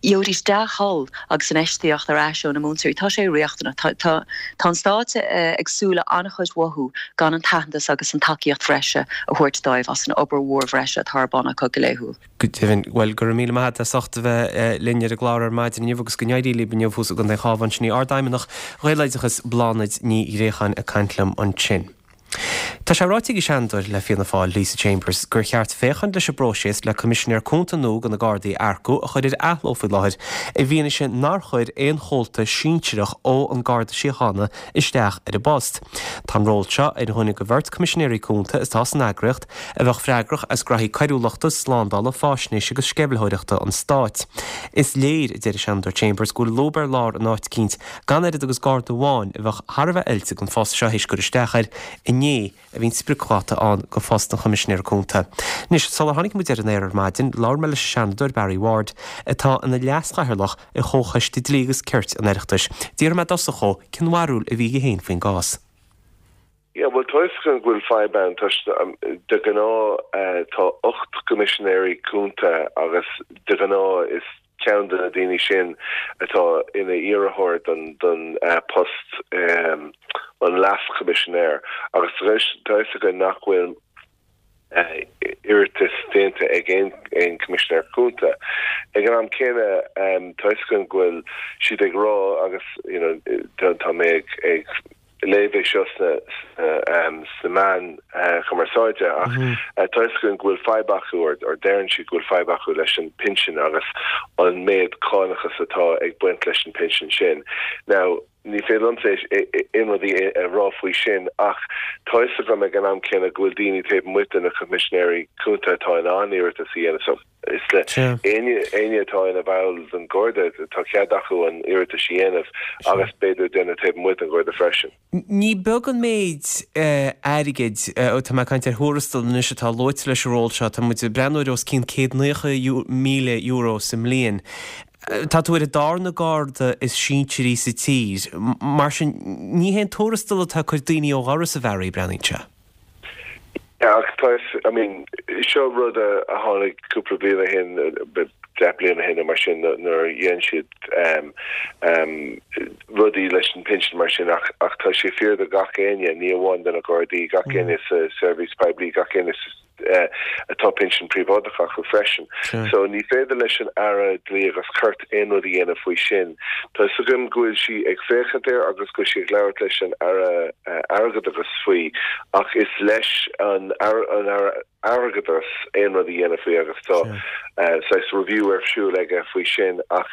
gheobhaidís dea-thoil agus infheistíocht ar ais ó na múinteoirí. Tá sé riachtanach. Tá, tá, tá an stát ag súil le an-chuid uathu gan an t-aitheantas agus an tacaíocht bhreise a thabhairt dóibh as an obair mhór bhreise atá ar bun acu go laethúil. Go deimhin. Bhuel, go raibh míle maith agat as ucht a bheith linn ar an gclár ar maidin inniu agus go n-éirí libh inniu thuas i gContae an Chabháin. Sin í Ardfheidhmeannach Ghaeloideachas, Bláthnaid Ní Ghréacháin ag caint liom ansin. Tá sé ráite ag an Seanadóir le Fianna Fáil, Lisa Chambers, gur cheart féachaint leis an bpróiseas le Coimisinéir Cúnta nua do na Gardaí a earcú a chur ar athló faoi láthair i bhfianaise nár chuir aon chomhalta sinsearach ó An Garda Síochána isteach ar an bpost. Tá an ról seo ar dhuine de bheirt Coimisinéirí Cúnta atá san eagraíocht a bheadh freagrach as graithí coiriúlachta, slándála, faisnéise agus sceimhlitheoireachta an stáit. Is léir, a deir an Seanadóir Chambers, go bhfuil lúb ar lár in áit eicínt gan oiread agus Garda amháin a bheadh thar a bheith oilte don phost seo théis cur isteach air inné a bhí an spriocdháta ann do phost an Choimisinéara Cúnta. Anois, sular tháinig muid ar an aer ar maidin, labhair mé leis an Seanadóir Barry Ward, atá ina leaschathaoirleach ar Chomhchoiste Dlí agus Cirt an Oireachtais. D'fhiafraigh mé i dtosach dhó cén bharúil a bhí aige féin faoin gcás. Yeah, bhuel, tá fhios againn go bhfuil fadhb ann toisc de ghnáth tá 8 gCoimisinéirí Cúnta agus de ghnáth is ceann de na daoine sin atá ina iarrthóir don don post an Leas-Choimisinéir agus tá fhios againn nach bhfuil iarratas déanta ag aon aon Choimisinéir Cúnta. Ag an am céanna tá fhios againn go bhfuil siad ag rá agus you know tá mé ag ag. léamh é seo sna sna meáin chumarsáide ach tá a fhios againn go bhfuil fadhb acu or deireann siad go bhfuil fadhb acu leis an pinsean agus an méid cánachas atá ag baint leis an pinsean sin. Now ní féidir liomsa aon rud a rá faoi sin ach tá a fhios agam ag an am céanna go bhfuil daoine taobh amuigh de na Coimisinéirí Cúnta atá in ann iarratas a dhéanamh so is le éinne éinne atá ina bhall den Gharda tá cead acu an iarratas a dhéanamh agus b'fhéidir duine taobh amuigh den Gharda freisin. Ní beag an méid airgid, tá mé ag caint ar thuarastal anois, atá luaite leis an ról seo, tá muid ag breathnú ar os cionn €190,000 sa mbliain. Tá tú ar an darna garda is sinsearaí sa tír, mar sin ní hé an tuarastal atá ag cur daoine ó dhoras, a Bharry, breathnaíonn sé. Yeah, ach tá, I mean, seo rud a tháinig cúpla bliain ó shin, 10 bliain ó shin nó mar sin, nuair a dhein siad rudaí leis an pinsean mar sin ach ach tá sé fíor do gach éinne, ní amháin do na Gardaí, gach éinne sa seirbhís poiblí, gach éinne sa atá pinsean príobháideach acu freisin. So ní féidir leis an Aire Dlí agus Cirt aon rud a dhéanamh faoi sin. Tá fhios agam go bhfuil sí ag féachaint air agus go bhfuil sí ag labhairt leis an Aire Airgeadais faoi ach is leis an Aire Airgeadais aon rud a dhéanamh faoi agus tá saghas review ar siúl aige faoi sin ach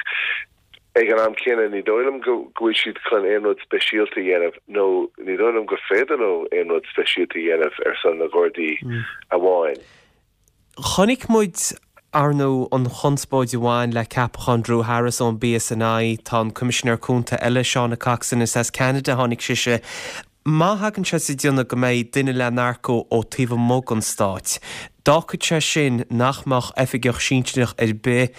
Ag an am céanna, ní dóigh liom go bhfuil siad chun aon rud speisialta a dhéanamh, nó ní dóigh liom gur féidir leo aon rud speisialta a dhéanamh ar son na Gardaí amháin. Chonaic muid, ar ndóigh, an chonspóid a bhain le ceapachán Drew Harris ón bPSNI. Tá an Coimisinéir Cúnta eile, Shauna Coxsone, is as Ceanada a tháinig sise. Má thagann sé sa déanamh go mbeidh duine le n-earcú ó taobh amuigh den Stát, d'fhágfadh sé sin nach mbeadh oifigeach sinsearach ar bith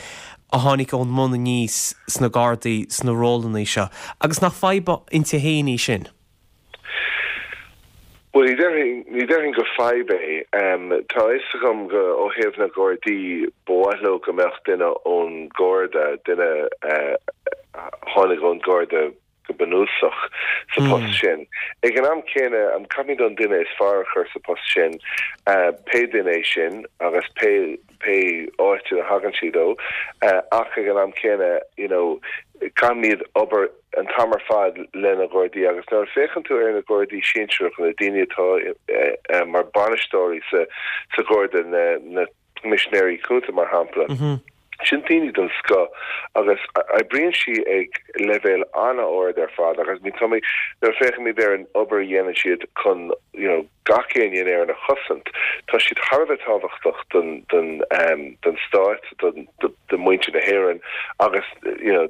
a tháinig ón mbun aníos sna Gardaí sna rólanna seo. Agus nach fadhb inti féin í sin? Bhuel, ní déarfainn, ní déarfainn gur fadhb é. Tá a fhios agam go, ó thaobh na Gardaí, ba mhaith leo go mbeadh duine ón Gharda, duine a tháinig ón Gharda, go bunúsach sa post sin. Ag an am céanna, caithfimid an duine is fearr a chur sa post sin, pé duine é sin agus pé pé áit ina thagann siad ó, ach ag an am céanna, you know, caithfimid obair an t-am ar fad le na Gardaí agus nuair a féachann tú ar na Gardaí sinsearacha, na daoine atá mar bainisteoirí sa sa Gharda, na na Coimisinéirí Cúnta, mar shampla. Sin daoine den scoth agus oibríonn siad ag leibhéal an-ard ar fad agus nuair a féachaimid ar an obair a dhéanann siad chun you know gach éinne in Éirinn a chosaint, tá siad thar a bheith tábhachtach don don don stát, don do mhuintir na hÉireann agus you know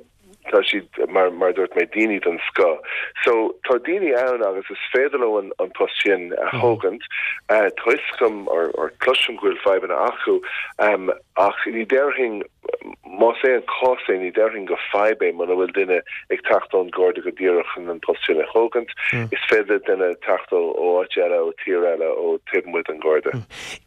tá siad, mar mar a dúirt mé, daoine den scoth. So, tá daoine ann agus is féidir leo an an post sin a thógaint. Tá fhios agam or or cloisim go bhfuil fadhbanna acu ach ní déarfainn, más é an cás é, ní déarfainn gur fadhb é muna bhfuil duine ag teacht ón Gharda go díreach chun an post sin a thógaint. Is féidir le duine teacht ó ó áit eile, ó tír eile, ó taobh amuigh den Gharda.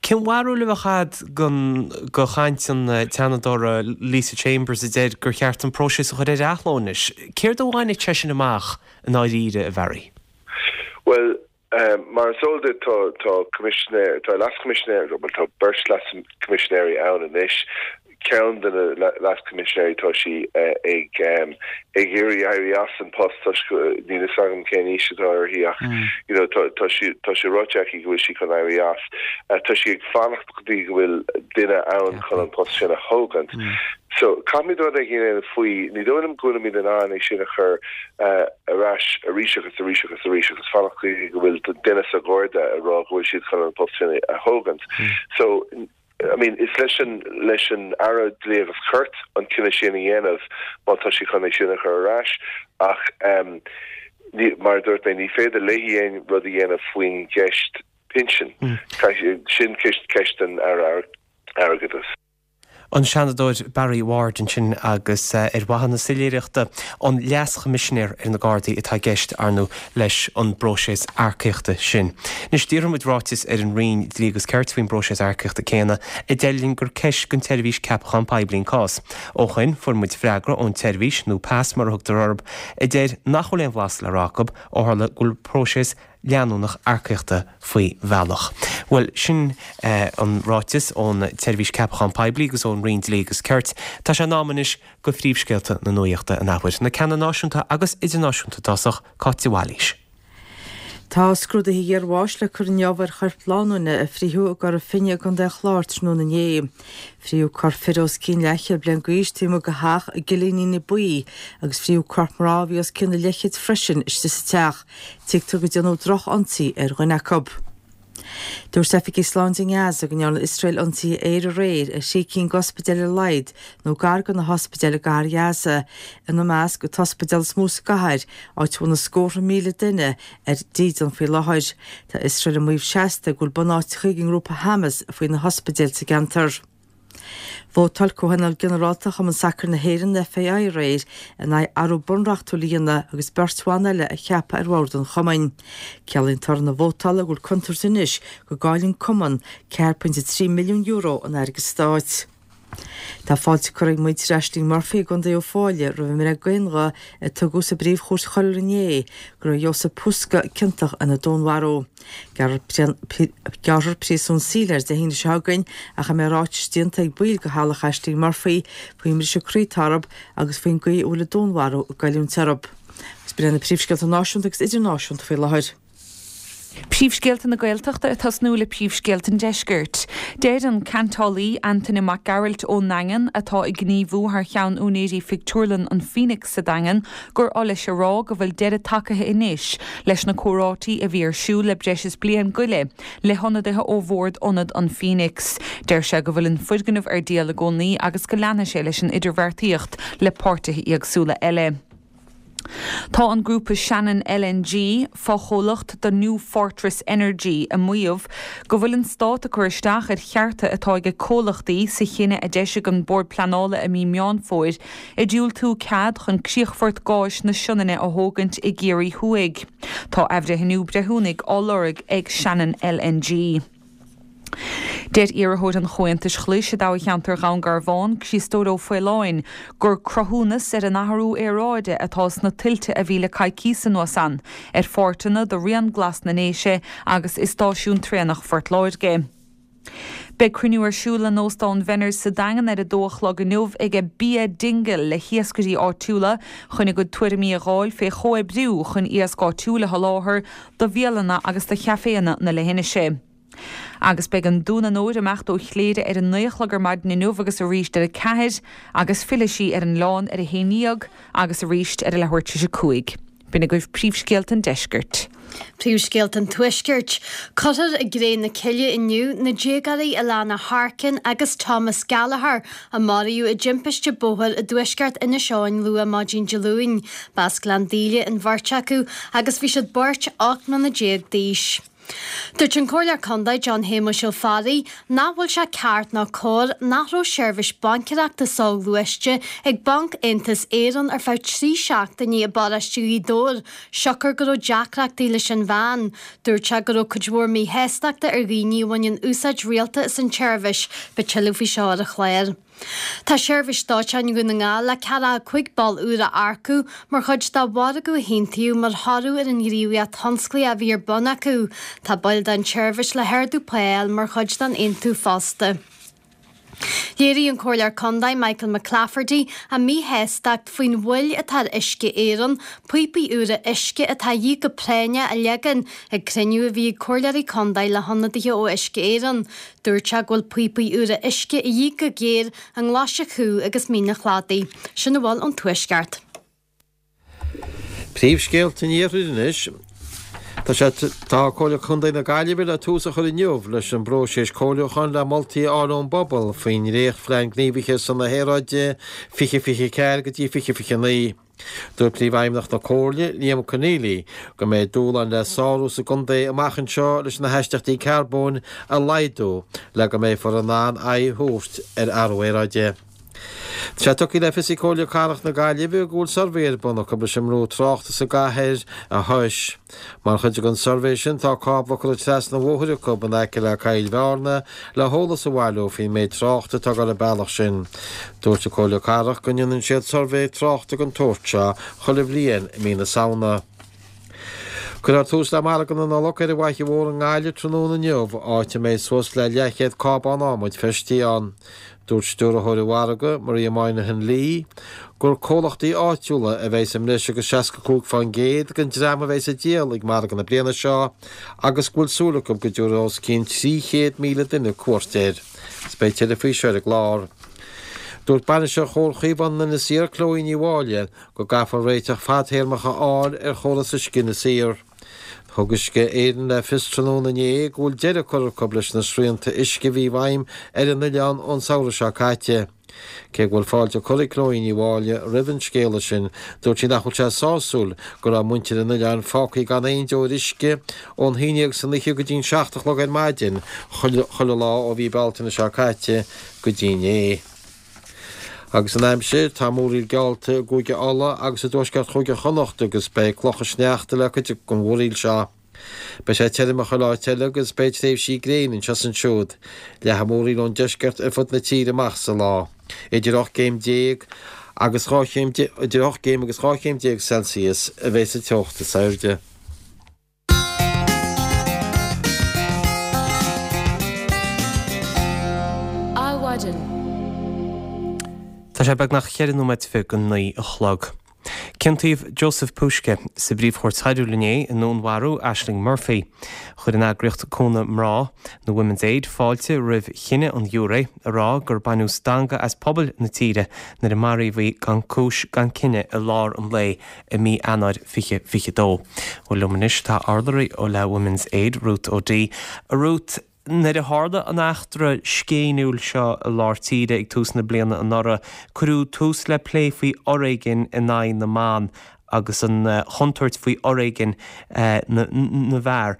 Cén bharúil a bheadh agat de chaint an tSeanadóra Lisa Chambers a deir gur cheart an próiseas a chur ar athló anois? Céard a bhainfeadh sé sin amach i ndáiríre, a Bharry? Bhuel, mar is eol duit, tá tá coimisinéir, tá leas-choimisinéir, bhuel tá beirt leas-choimisinéirí ann anois. Ceann de na leas-choimisinéirí, tá sí ag ag iarraidh éirí as an post toisc go, níl fhios agam cén aois atá uirthi ach you know tá tá sí tá sé ráite aici go bhfuil sí chun éirí as. Tá sí ag fanacht go dtí go bhfuil duine ann chun an post sin a thógaint. So caithfimid rud éigin a dhéanamh faoi. Ní dóigh liom go bhfuilimid in ann é sin a chur ar ais arís agus arís agus arís agus fanacht go dtí go bhfuil duine sa Gharda ag rá go bhfuil siad chun an post sin a thógaint. So I mean, is leis an, leis an Aire Dlí agus Cirt an cinneadh sin a dhéanamh má tá sí chun é sin a chur ar ais ach ehm ní, mar a dúirt mé, ní féidir léi aon rud a dhéanamh faoin gceist pinsin. Caithfidh, sin ceist, ceist an Aire Airgeadais. An Seanadóir Barry Ward ansin agus ar mhaithe na soiléireachta, an Leas-Choimisinéir ar na Gardaí atá i gceist, ar ndóigh, leis an bpróiseas earcaíochta sin. Anois, d'iarr muid ráiteas ar an Roinn Dlí agus Cirt faoin bpróiseas earcaíochta céanna, a deir linn gur ceist don tSeirbhís Ceapachán Poiblí an cás. Ó shoin, fuair muid freagra ón tseirbhís, nó PAS mar a thugtar orthu, a deir nach bhfuil aon bhlas le rá acu ó tharla go bhfuil próiseas leanúnach earcaíochta faoi bhealach. Bhuel, sin an ráiteas ón tSeirbhís Ceapachán Poiblí agus ón Roinn Dlí agus Cirt. Tá sé in am anois do phríomhscéalta na nuaíochta an athuair, na ceanna náisiúnta agus idirnáisiúnta i dtosach, Cáit de Bhailís. Tá scrúduithe iarbháis le cur inniu ar choirp lánúine a frítheadh i gCora Finne i gContae an Chláir tráthnóna inné. Frítheadh corp fir os cionn leathchéad bliain d'aois taobh amuigh de theach i gCillíní Buí agus frítheadh corp mná a bhí os cionn a leithchéid freisin istigh sa teach. Tuigtear go déanadh droch-ionsaí ar dhuine acu. Dúirt oifigigh sláinte i nGaza go ndearna Iosrael ionsaithe aeir aréir ar thrí cinn d'ospidéil ar a laghad nó gar do na hospidéil i gcathair Ghaza, ina measc an t-ospidéal is mó sa gcathair, áit a bhfuil na scórtha míle duine ar dídean faoi láthair. Tá Iosrael ag maíomh seasta go bhfuil bunáiteacha ag an ngrúpa Hamas faoi na hospidéil sa gceantar. Vótáil Comhthionól Ginearálta Chumann Sacair na hÉireann, FAI, aréir in aghaidh athrú bunreachtúil a dhéanamh agus beirt bhan eile a cheapadh ar bhord an chumainn. Ciallaíonn toradh na vótála go bhfuil contúirt anois go gcaillfidh an cumann €4.3 milliún in airgead stáit. Tá fáilte curtha ag muintir Ashling Murphy i gContae Uíbh Fhailí roimh an mbreith d'aonghuth a tugadh sa bPríomh-Chúirt Choiriúil inné go raibh Jozef Puska ciontach ina dúnmharú. Gearrfar príosún saoil air Dé hAoine seo chugainn ach a mbeidh ráitis déanta ag baill de theaghlach Ashling Murphy faoin mbriseadh croí atá orthu agus faoin gcaoi a bhfuil an dúnmharú ag goilliúint orthu. Agus b'in iad na príomhscéalta náisiúnta agus idirnáisiúnta faoi láthair. Príomhscéalta na Gaeltachta ag tosnú le príomhscéalta an Deiscirt. Deir an ceantálaí Antaine Mac Gearailt ón nDaingean, atá ag gníomhú thar cheann úinéirí phictiúrlann an Phoenix sa Daingean, gur oth leis a rá go bhfuil deireadh tagaithe anois leis na comhráití a bhí ar siúl le breis is bliain go leith le hionadaithe ó bhord Ionad an Phoenix. Deir sé go bhfuil an foirgneamh ar díol i gcónaí agus go leanfaidh sé leis an idirbheartaíocht le páirtithe éagsúla eile. Tá an grúpa Shannon LNG, fochomhlacht do New Fortress Energy, ag maíomh go bhfuil an Stát ag cur isteach ar chearta atá ag comhlachtaí sa chinneadh a d'eisigh an Bord Pleanála i mí Meán Fómhair ag diúltú cead chun críochfort gáis na Sionainne a thógaint i gCiarraí Thuaidh. Tá athbhreithniú breithiúnaigh á lorg ag Shannon LNG. Deir iarrthóir an Chomhaontais Ghlais i dtoghcheantar Dhún Garbhán, Criostóir Ó Faoláin, gur cruthúnas ar an athrú aeráide atá sna tuilte a bhí le coicíos anuas ann ar pháirteanna de Rian Glas na nDéise agus i stáisiún traenach Phort Láirge. Beidh cruinniú ar siúl in Óstán Bhenners sa Daingean ar a dó a chlog inniu ag Bia Dingle le hiascairí áitiúla chun a gcuid tuairimí a dh'fháil fé chomhoibriú chun iasc áitiúil a sholáthar do bhialanna agus do chaiféanna na leithinise. Agus beidh an Dún an Óir ag imeacht ó Chléire ar a naoi a chlog ar maidin inniu agus arís ar a ceathair agus fillfidh sí ar an oileán ar a haon dhéag agus arís ar a leathuair tar éis a cúig. B'in agaibh príomhscéalta an deiscirt. Príomhscéalta an Tuaiscirt. Cuirfear i gcré na cille inniu na déagóirí Alana Harkin agus Thomas Gallagher a maraíodh i dtimpiste bóthair i dtuaisceart Inis Eoghain luath maidin Dé Luain. B'as Gleann Daoile an bheirt acu agus bhí siad beirt 18 mbliana d'aois. Dúirt an Comhairleoir Contae John Shéamuis Ó Fearraigh nach bhfuil sé ceart ná cóir nach raibh seirbhís baincéireachta soghluaiste ag Banc Aontas Éireann ar feadh 3 seachtainí i bparóiste Ghaoth Dobhair siocair go raibh deacrachtaí leis an mheán. Dúirt sé go raibh cuid mhór míshástachta ar dhaoine a bhaineann úsáid rialta as an tseirbhís. Beidh tuilleadh faoi seo ar an chlár. Tá Seirbhís Dóiteáin Dhún na nGall le 45 ball úr a earcú mar chuid de mhargadh a haontaíodh mar thoradh ar an ghníomhaíocht thionsclaíoch a bhí ar bun acu. Tá baill den tseirbhís le hardú pá a fháil mar chuid den aontú fosta. Léirigh an Comhairleoir Contae Michael McClafferty a mhíshástacht faoin mhoill atá ar Uisce Éireann píopaí úra uisce atá a dhíth go práinneach a leagan ag cruinniú a bhí ag Comhairleoirí Contae le hionadaithe ó Uisce Éireann. Dúirt sé go bhfuil píopaí úra uisce a dhíth go géar i nGlais an Chú agus Mín an Chladaigh. Sin a bhfuil ón Tuaisceart. Príomhscéalta an Iarthair anois. Tá sé Tá Comhairle Contae na Gaillimhe le tús a chur inniu leis an bpróiseas comhairliúcháin le moltaí a fháil ón bpobal faoin ndréachtphlean gníomhaithe ar son na haeráide 2024 go dtí 2029. Dúirt Príomhfheidhmeannach na Comhairle, Liam Conneely, go mbeidh dúshláin le sárú sa gcontae amach anseo leis na hastaíochtaí carbóin a laghdú le go mbeifear in ann aghaidh a thabhairt ar athrú aeráide. Tá sé tugtha le fios ag Comhairle Cathrach na Gaillimhe go bhfuil suirbhé ar bun acu leis an mbrú tráchta sa gcathair a thomhas. Mar chuid den suirbhé sin tá cábla curtha trasna an bhóthair acu in aice le Coill Bhearna le heolas a bhailiú faoin méid tráchta atá ag dul an bealach sin. Dúirt an Comhairle Cathrach go ndéanann siad suirbhé tráchta den tsórt seo chuile bhliain i mí na Samhna. Cuirfear tús le Margadh na Nollag ar an bhFaiche Mhór i nGaillimh tráthnóna inniu, áit a mbeidh suas le leathchéad cábán adhmaid feistithe ann. Dúirt stiúrthóir an mhargaidh, Maria Moynihan Lee, gur comhlachtaí áitiúla a bheidh sa mbreis agus 65% den dream a bheidh ag díol ag margadh na bliana seo agus go bhfuil súil acu go dtabharfaidh os cionn 300,000 duine cuairt air. Is beidh tuilleadh faoi seo ar an gclár. Dúirt Bainisteoir Chomhar Chaomhán in Inis Oírr, Chloe Ní Mháille, go gcaithfear réiteach fadtéarmach a fháil ar chóras uisce Inis Oírr. Thug Uisce Éireann le fios tráthnóna inné go bhfuil deireadh curtha acu leis na srianta uisce a bhí i bhfeidhm ar an oileán ón samhradh seo caite. Cé go bhfuil fáilte curtha ag Chloe Ní Mháille roimh an scéala sin, dúirt sí nach bhfuil sé sásúil go raibh muintir an oileáin fágtha gan aon deoir uisce ón haon dhéag san oíche go dtí'n seacht a chlog ar maidin chuile lá ó mhí Bealtaine seo caite go dtí inné. Agus an aimsir, tá múraíl geallta i gCúige Uladh agus i dtuaisceart Chúige Chonnacht agus beidh clocha sneachta le cuid den mhúraíl seo. Beidh sé tirim i chuile áit eile agus beidh tréimhsí gréine anseo is ansiúd. Leathfaidh múraíl ón deisceart ar fud na tíre amach sa lá. Idir 18 gcéim agus 12 chéim idir 8 gcéim agus 12 chéim Celsius a bheidh sa teocht is airde. Adhmhaidin. Tá sé beagnach cheithre nóiméad go 9 a chlog. Ciontaíodh Joseph Puska sa bPríomh-Chúirt Choiriúil inné i ndúnmharú Ashling Murphy. Chuir an eagraíocht Cúnamh Mná, nó Women's Aid, fáilte roimh chinneadh an ghiúiré, ag rá gur baineadh stangadh as pobal na tíre nuair a maraíodh í gan cúis gan cinneadh i lár an lae i mí Eanáir 2022. Bhuel liom anois tá urlabhraí ó le Women's Aid, Ruth O'Dea. A Ruth, nuair a tharla an eachtra scéiniúil seo i lár tíre ag tús na bliana anuraidh, cuireadh tús le plé faoi fhoréigean in aghaidh na mban agus an chontúirt faoi fhoréigean na bhfear.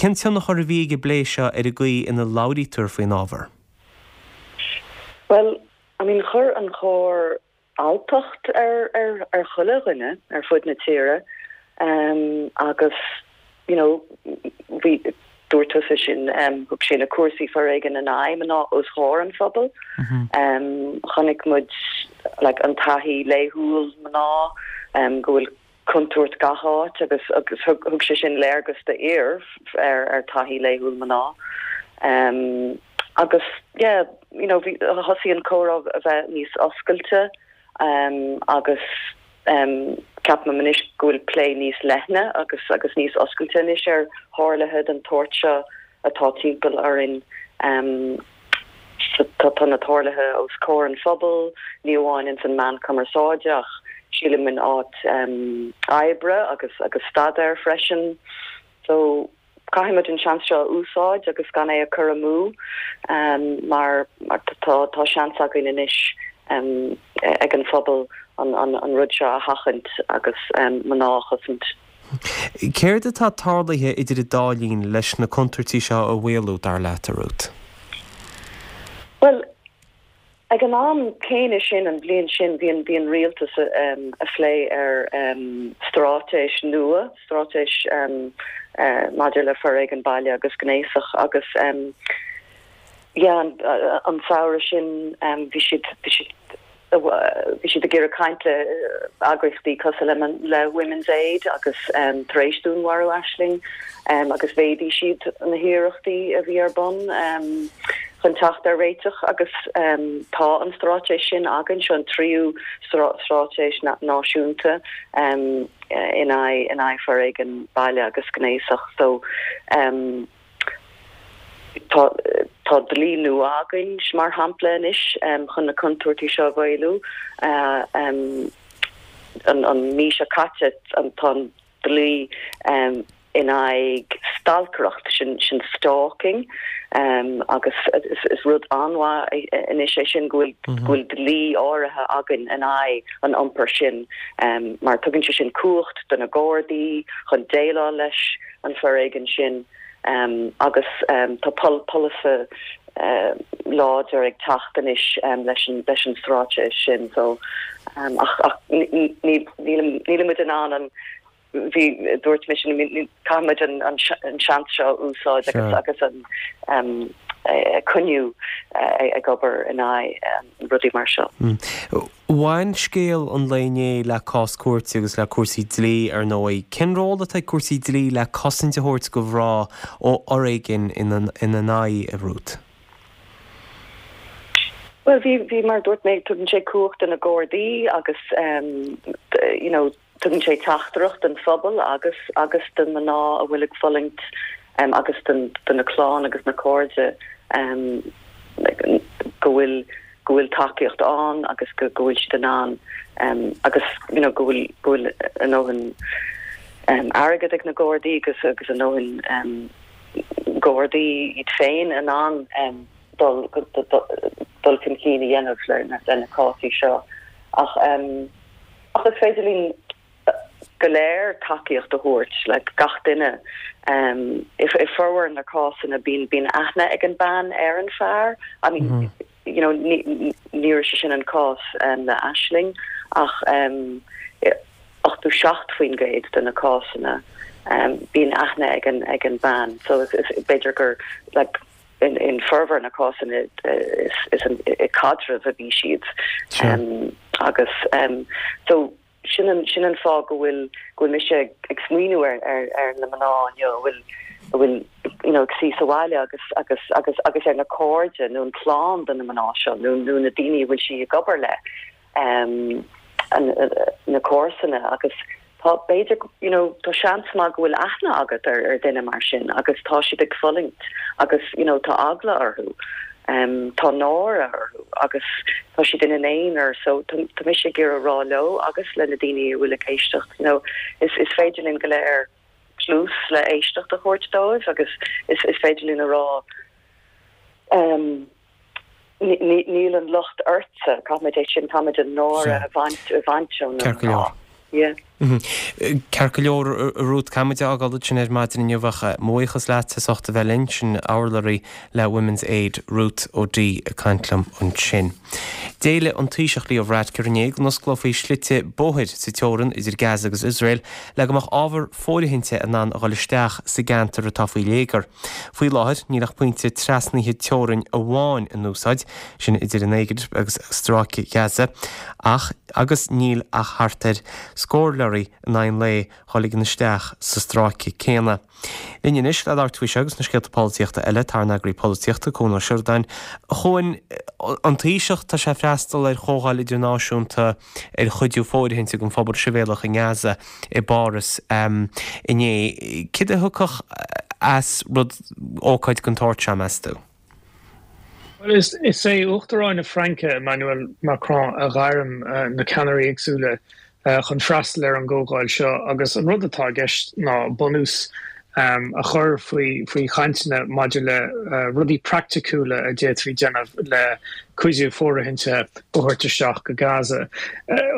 Cén tionchar a bhí ag an bplé seo ar an gcaoi ina labhraítear faoin ábhar? Bhuel, I mean, chuir an choir alltacht ar ar chuile dhuine ar fud na tíre agus you know bhí dúirt tusa sin thug sé na cúrsaí foréigin in aghaidh mná os comhair an phobail. Chonaic muid like an taithí laethúil mná go bhfuil contúirt gach áit agus agus thug sé sin léargas d'fhir ar ar taithí laethúil mná. Agus yeah you know bhí thosaigh an comhrá a bheith níos oscailte agus ceapaim anois go bhfuil plé níos leithne agus agus níos oscailte anois ar tharluithe den tsórt seo atá timpeall orainn. Tá na tarluithe os comhair an phobail, ní amháin ins an meán cumarsáide ach sílim in áit oibre agus agus staidéir freisin. So caithfidh muid an seans seo a úsáid agus gan é a chur amú mar tá tá seans againn anois ag an phobal an an rud seo a sheachaint agus mná a chosaint. Céard atá tarlaithe idir an dá linn leis na contúirtí seo a mhaolú, dar leat, a Ruth? Bhuel, ag an am céanna sin, an bhliain sin, bhí an, bhí an rialtas a phlé ar straitéis nua, straitéis maidir le foréigean baile agus gnéasach agus yeah, an samhradh sin bhí siad, bhí siad, Bhí siad ag iarraidh caint le eagraíochtaí cosúil le Women's Aid agus tar éis dúnmharú Ashling agus mhéadaigh siad na hiarrachtaí a bhí ar bun chun teacht ar réiteach agus tá an straitéis sin againn, seo an tríú straitéis náisiúnta in aghaidh foréigean baile agus gnéasach so. Tá tá dlí nua againn, mar shampla, anois chun na contúirtí seo a mhaolú. An mhí seo caite tá an dlí in aghaidh stalcaireacht, sin sin stalking, agus is rud an-mhaith anois é sin go bhfuil go bhfuil dlí áirithe againn in aghaidh an iompair sin mar tugann sé sin cumhacht do na Gardaí chun déileáil leis an foréigean sin agus tá polasaí láidir ag teacht anois leis an leis an straitéis sin so ach ach nílimid in ann an bhí dúirt mé sin caithfimid an an seans seo a úsáid agus agus an. coinniú ag obair in aghaidh rudaí mar seo. Bhain scéal an lae inné le cás cúirte agus le cúrsaí dlí, ar ndóigh. Cén ról atá ag cúrsaí dlí le cosaint a thabhairt do mhná ó fhoréigean ina n-aghaidh, a Ruth? Bhuel, bhí, bhí, mar a dúirt mé, tugann sé cumhacht do na Gardaí agus you know, tugann sé teachtaireacht don phobal agus agus do mná a bhfuil ag fulaingt agus don do na clann agus na cairde go bhfuil go bhfuil tacaíocht ann agus go go bhfuil siad in ann agus you know go bhfuil go bhfuil a ndóthain airgead ag na Gardaí agus agus a ndóthain Gardaí iad féin in ann dul dul chun cinn a dhéanamh le na cásaí seo ach ach is féidir linn go léir tacaíocht a thabhairt, like gach duine. I formhór na cásanna bíonn bíonn aithne ag an bean ar an fear. I mean you know ní ní raibh sé sin an cás le Aisling ach 87% de na cásanna bíonn aithne ag an ag an bean. So is is b'fhéidir gur like in formhór na cásanna is i caidreamh a bhí siad agus so sin an sin an fáth go bhfuil go bhfuil mise ag smaoineamh ar ar ar na mná inniu a bhfuil a bhfuil you know ag suí sa bhaile agus agus agus agus ar na cairde nó an clann de na mná seo nó nó na daoine a bhfuil sí ag obair le na comharsana agus tá, b'fhéidir, you know, tá seans maith go bhfuil aithne agat ar ar duine mar sin agus tá siad ag fulaingt agus, you know, tá eagla orthu, tá náire orthu agus tá siad ina n-aonar so tá tá mise ag iarraidh rá leo agus le na daoine a bhfuil ag éisteacht, you know, is is féidir linn go léir cluas le éisteacht a thabhairt dóibh agus is is féidir linn a rá, Níl an locht ortsa, caithfimid é sin, caithfimid an náire a bhaint, a bhaint ó na Ceart go leor. mná. Yeah. Ceart go leor, a Ruth, caithfimid a fhágáil ansin ar maidin inniu ach mo bhuíochas leat as ucht a bheith linn, sin urlabhraí le Women's Aid, Ruth O'Dea ag caint liom ansin. D'éiligh an Taoiseach Leo Varadkar inné go n-osclófaí slite bóthair sa teorann idir Gaza agus Iosrael le go mbeadh ábhar fóirithinte in ann a dhul isteach sa gceantar atá faoi léigear. Faoi láthair, níl ach pointe trasnaithe teorainn amháin in úsáid, sin idir an Éigipt agus Stráice Ghaza, ach agus níl ach thart ar scór leoraí in aghaidh an lae dhá ligean isteach sa stráice céanna. Linn anois le labhairt faoi seo agus na scéalta polaitíochta eile, tá ár n-eagraí polaitíochta, Cuan Ó Seireadáin. A Chuain, an Taoiseach, tá sé ag freastal ar chomhdháil idirnáisiúnta ar chuidiú fóirithinte don phobal sibhialtach i nGaza i bPáras inné. Céard a thiocfadh as rud, ócáid den tsórt seo, meas tú? Bhuel, is é Uachtarán na Fraince, Emmanuel Macron, a ghairm na ceannairí éagsúla chun freastal ar an gcomhdháil seo agus an rud atá i gceist ná bunús a chur faoi faoi chainteanna maidir le rudaí praiticiúla a d'fhéadfaí déanamh le cuidiú fóirithinte a thabhairt isteach go Gaza.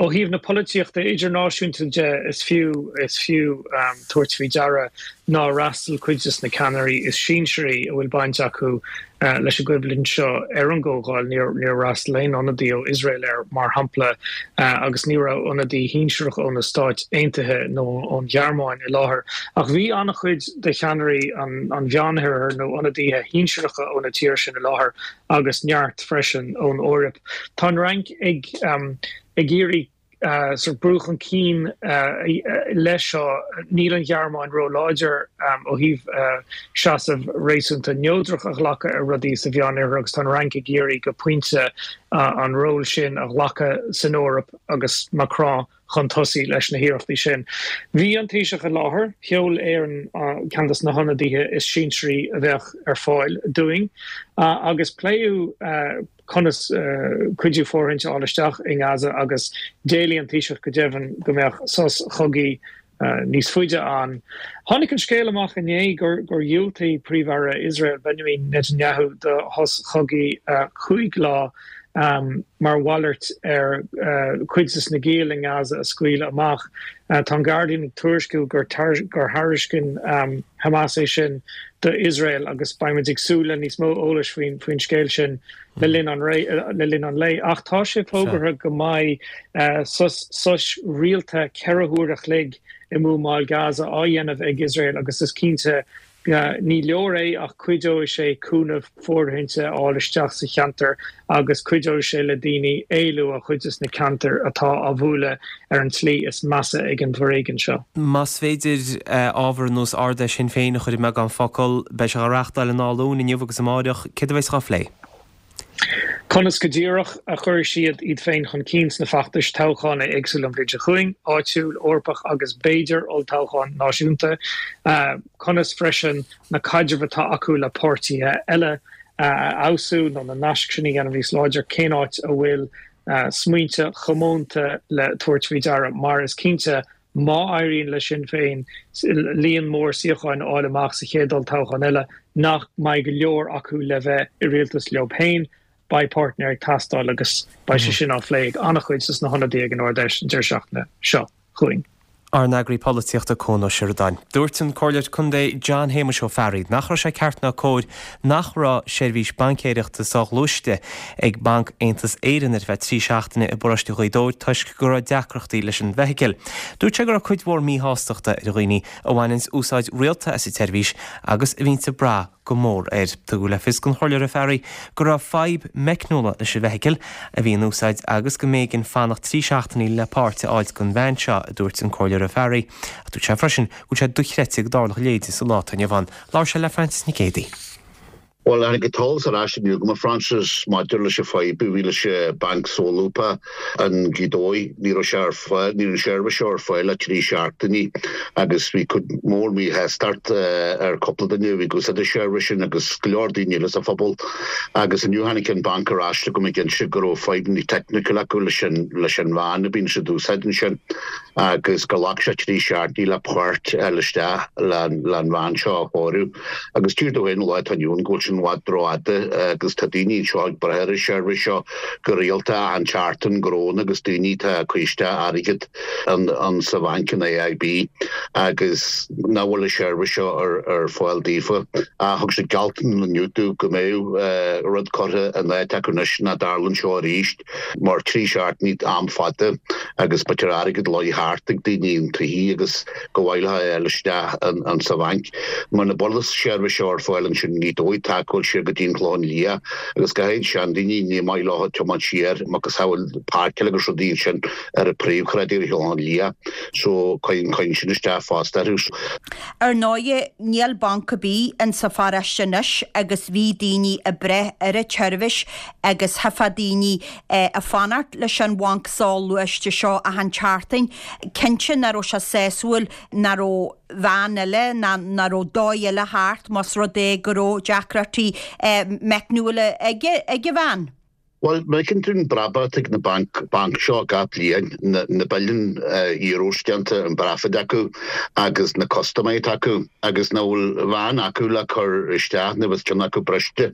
Ó thaobh na polaitíochta idirnáisiúnta de, is fiú is fiú tabhairt faoi deara nár fhreastail cuid de na ceannairí is sinsearaí a bhfuil baint acu leis an gcoimhlint seo ar an gcomhdháil. Níor fhreastail aon ionadaí ó Iosrael air, mar shampla, agus ní raibh ionadaí shinsearach ó na Stáit Aontaithe nó ón Ghearmáin i láthair. Ach bhí an-chuid de cheannairí an Mheánoirthir nó ionadaithe shinsearacha ó na tíortha sin i láthair agus neart freisin ón Eoraip. Tá an Fhrainc ag iarraidh sort brú chun cinn leis seo. Níl an Ghearmáin ró-láidir ó thaobh seasamh réasúnta neodrach a ghlacadh ar rudaí sa Mheánoirthear agus tá an Fhrainc ag iarraidh go pointe an ról sin a ghlacadh san Eoraip agus Macron chun tosaigh leis na hiarrachtaí sin. Bhí an Taoiseach i láthair, sheol Éirinn ceann de na hionadaithe is sinsearaí a bheadh ar fáil dúinn agus pléadh conas cuidiú fóirithinte a fháil isteach i nGaza agus d'éiligh an Taoiseach go deimhin go mbeadh sos chogaidh níos faide ann. Tháinig an scéal amach inné gur dhiúltaigh Príomh-Aire Iosrael Benjamin Netanyahu do shos chogaidh chúig lá mar mhalairt ar chuid de na giall i nGaza a scaoileadh amach. Tá an Guardian ag tuairisciú gur thairiscin Hamas é sin do Iosrael agus beimid ag súil le níos mó eolais faoin scéal sin le linn an le linn an lae. Ach tá sé fógartha go mbeidh sos sos rialta 4 huair a chloig i mbuamáil Gaza á dhéanamh ag Iosrael agus is cinnte. Ní leor é ach cuideoidh sé cúnamh fóirithinte a fháil isteach sa cheantar agus cuideoidh sé le daoine éalú ó chuid des na ceantair atá á bhualadh ar an tslí is measa ag an bhforéigean seo. Más féidir ábhar ar nós Ard-Fheis Shinn Féin a chur i mbeagán focal, beidh sé á reáchtáil an dá Luan, inniu agus amáireach, céard a bheas á phlé? Conas go díreach a chuirfidh siad iad féin chun cinn sna feachtais toghcháin éagsúla an bhliain seo chugainn, áitiúil, Eorpach agus b'fhéidir olltoghchán náisiúnta? Conas freisin na caidrimh atá acu le páirtithe eile a fheabhsú nó na naisc sin a dhéanamh níos láidre? Cén áit a bhfuil smaointe comónta le tabhairt faoi deara? Mar is cinnte Má éiríonn le Sinn Féin líon mór suíocháin a fháil amach sa chéad olltoghchán eile, nach mbeidh go leor acu le bheith i rialtas leo féin, beidh páirtnéir ag teastáil agus beidh sé sin á phlé ag an-chuid dos na hionadaithe ag an Ard-Fheis an deireadh seachtaine seo chugainn. Ár n-eagraí polaitíochta Cuan Ó Seireadáin. Dúirt an Comhairleoir Contae John Shéamuis Ó Fearraigh nach raibh sé ceart ná cóir nach raibh seirbhís baincéireachta soghluaiste ag Banc Aontas Éireann ar feadh 3 seachtaine i bparóiste Ghaoth Dobhair toisc go raibh deacrachtaí leis an bhfeithicil. Dúirt sé go raibh cuid mhór míshástachta ar dhaoine a bhaineanns úsáid rialta as an tseirbhís agus a bhíonns ag brath go mór air. Tugadh le fios don Chomhairleoir Ó Fearraigh go raibh fadhb meicniúla leis an bhfeithicil a bhí in úsáid agus go mb'éigean fanacht 3 seachtainí le páirt a fháilt don veain seo, a dúirt an Comhairleoir Ó Fearraigh. Ach dúirt sé freisin go bhfuil sé dochreidte go dtarlódh a leithéid sa lá atá inniu ann. Labhair sé le Frances Nic Géadaigh. Bhuel, tháinig an t-eolas ar ais inniu chugam, a Frances, maidir leis an fadhb a bhí leis an banc solúbtha i nGaoth Dobhair. Ní raibh sé ar fáil, ní raibh an seirbhís seo ar fáil le trí seachtainí agus bhí cuid mhór míshástacht ar cúpla duine a bhí ag úsáid an seirbhís sin agus go leor daoine eile sa phobal. Agus inniu tháinig an banc ar ais chugam ag inse go raibh fadhbanna teicniúla acu leis an leis an veain a bhíonn siad ag úsáid ansin agus gur ghlac sé trí seachtainí le páirt a fháil isteach le an veain seo a chóiriú. Agus tír domh féin an lá atá inniu ann go bhfuil sin i bhfad rófhada agus tá daoine anseo ag brath ar an seirbhís seo go rialta achan tseachtain go raibh agus daoine atá ag cur isteach airgead ann sa bhanc in AIB agus nach bhfuil an seirbhís seo ar fáil daofa. Ach thug siad gealltanas inniu domh go mbeidh rud curtha in áit acu anois nach dtarlódh seo arís. Mar 3 seachtainí am fada agus b'fhéidir airgead luí thart ag daoine an tsoithigh agus go mhaith leo é a fháil isteach an sa bhanc. Muna bhfuil an seirbhís seo ar fáil ansin i nGaoth Dobhair tá ag dul siar go dtí an Clochán Liath agus go háirid seandaoine ní maith leo tiomáint siar macasamhail páirceáil agus rudaí ansin ar an príomhshráid ar an Chlochán Liath so cuireann sin isteach fosta orthu. Ar ndóighe níl banc ar bith in sa pharóiste anois agus bhí daoine ag brath ar an tseirbhís agus theifeadh daoine ag fanacht leis an bhanc soghluaiste seo achan tseachtain. Cinnte nach raibh sé sásúil nach raibh veain eile ná nach raibh dóigh eile thart más rud é go raibh deacrachtaí meicniúla ag an veain. Bhuel, má fheiceann tú an brabach atá ag na banc banc seo gach bliain, na na billiún euros déanta an profit acu agus na custaiméirí atá acu agus nach bhfuil veain acu le cur isteach nuair a bheas ceann acu briste.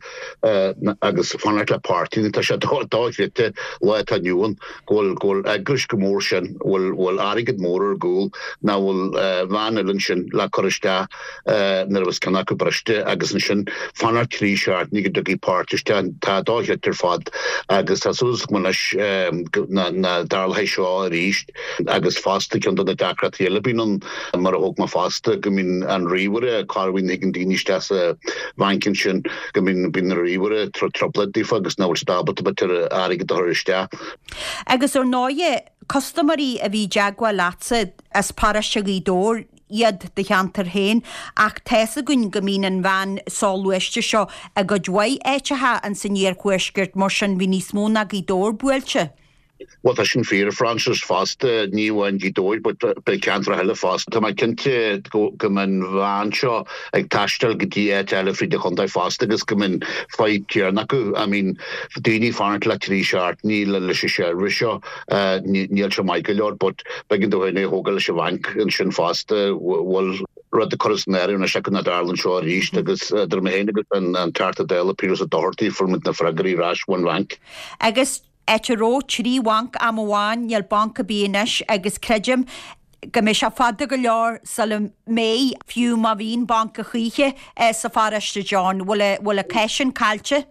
agus fanacht le páirt, tá sé dochreidte lá atá inniu ann go bhfuil go bhfuil eagrais chomh mór sin, bhfuil bhfuil airgead mór ar gcúl, nach bhfuil veain eile ansin le cur isteach nuair a bheas ceann acu briste agus ansin fanacht trí seachtainí go dtiocfaidh páirt isteach. Tá dochreidte ar fad agus tá súil agam anois nach dtarlóidh seo arís. Agus fosta, ceann de na deacrachtaí eile a bhíonn ann, mar a thóg mé fosta, go mbíonn an ríomhaire, corruair nuair a thigeann daoine isteach sa bhanc ansin, go mbíonn, bíonn an ríomhaire ag tabhairt trioblóid daofa agus nach bhfuil siad ábalta b'fhéidir airgead a chur isteach. Agus ar ndóighe, custaiméirí a bhí i dteagmháil leatsa as paróiste Ghaoth Dobhair, iad do cheantar féin ach tá's againn go mbíonn an veain soghluaiste seo i gcuid mhaith áiteacha ins an iarthuaisceart, mar sin bhí níos mó ná Gaoth Dobhair buailte. Bhuel, tá sin fíor, a Frances, fosta, ní amháin Gaoth Dobhair but beidh ceantracha eile fosta. Tá mé cinnte go mbeidh an veain seo ag taisteal go dtí áit eile fríd an chontae fosta agus go mbeidh an fadhb céanna acu. I mean, daoine ag fanacht le trí seachtainí leis an seirbhís seo, níl sé maith go leor but b'éigean dóibh féin é a thógáil leis an bhanc ansin fosta. Bhfuil rud a chur san áireamh anois acu nach dtarlaíonn seo arís agus idir mé féin agus an Teachta Dála Piaras Ó Dochartaigh fuair muid na freagraí ar ais ón bhanc. Agus Áit a raibh 3 bhanc am amháin, níl banc ar bith anois agus creidim go mbeidh sé fada go leor sula mbeidh, fiú má bhíonn banc a choíche sa pharóiste, John. Bhfuil, bhfuil an cath sin caillte?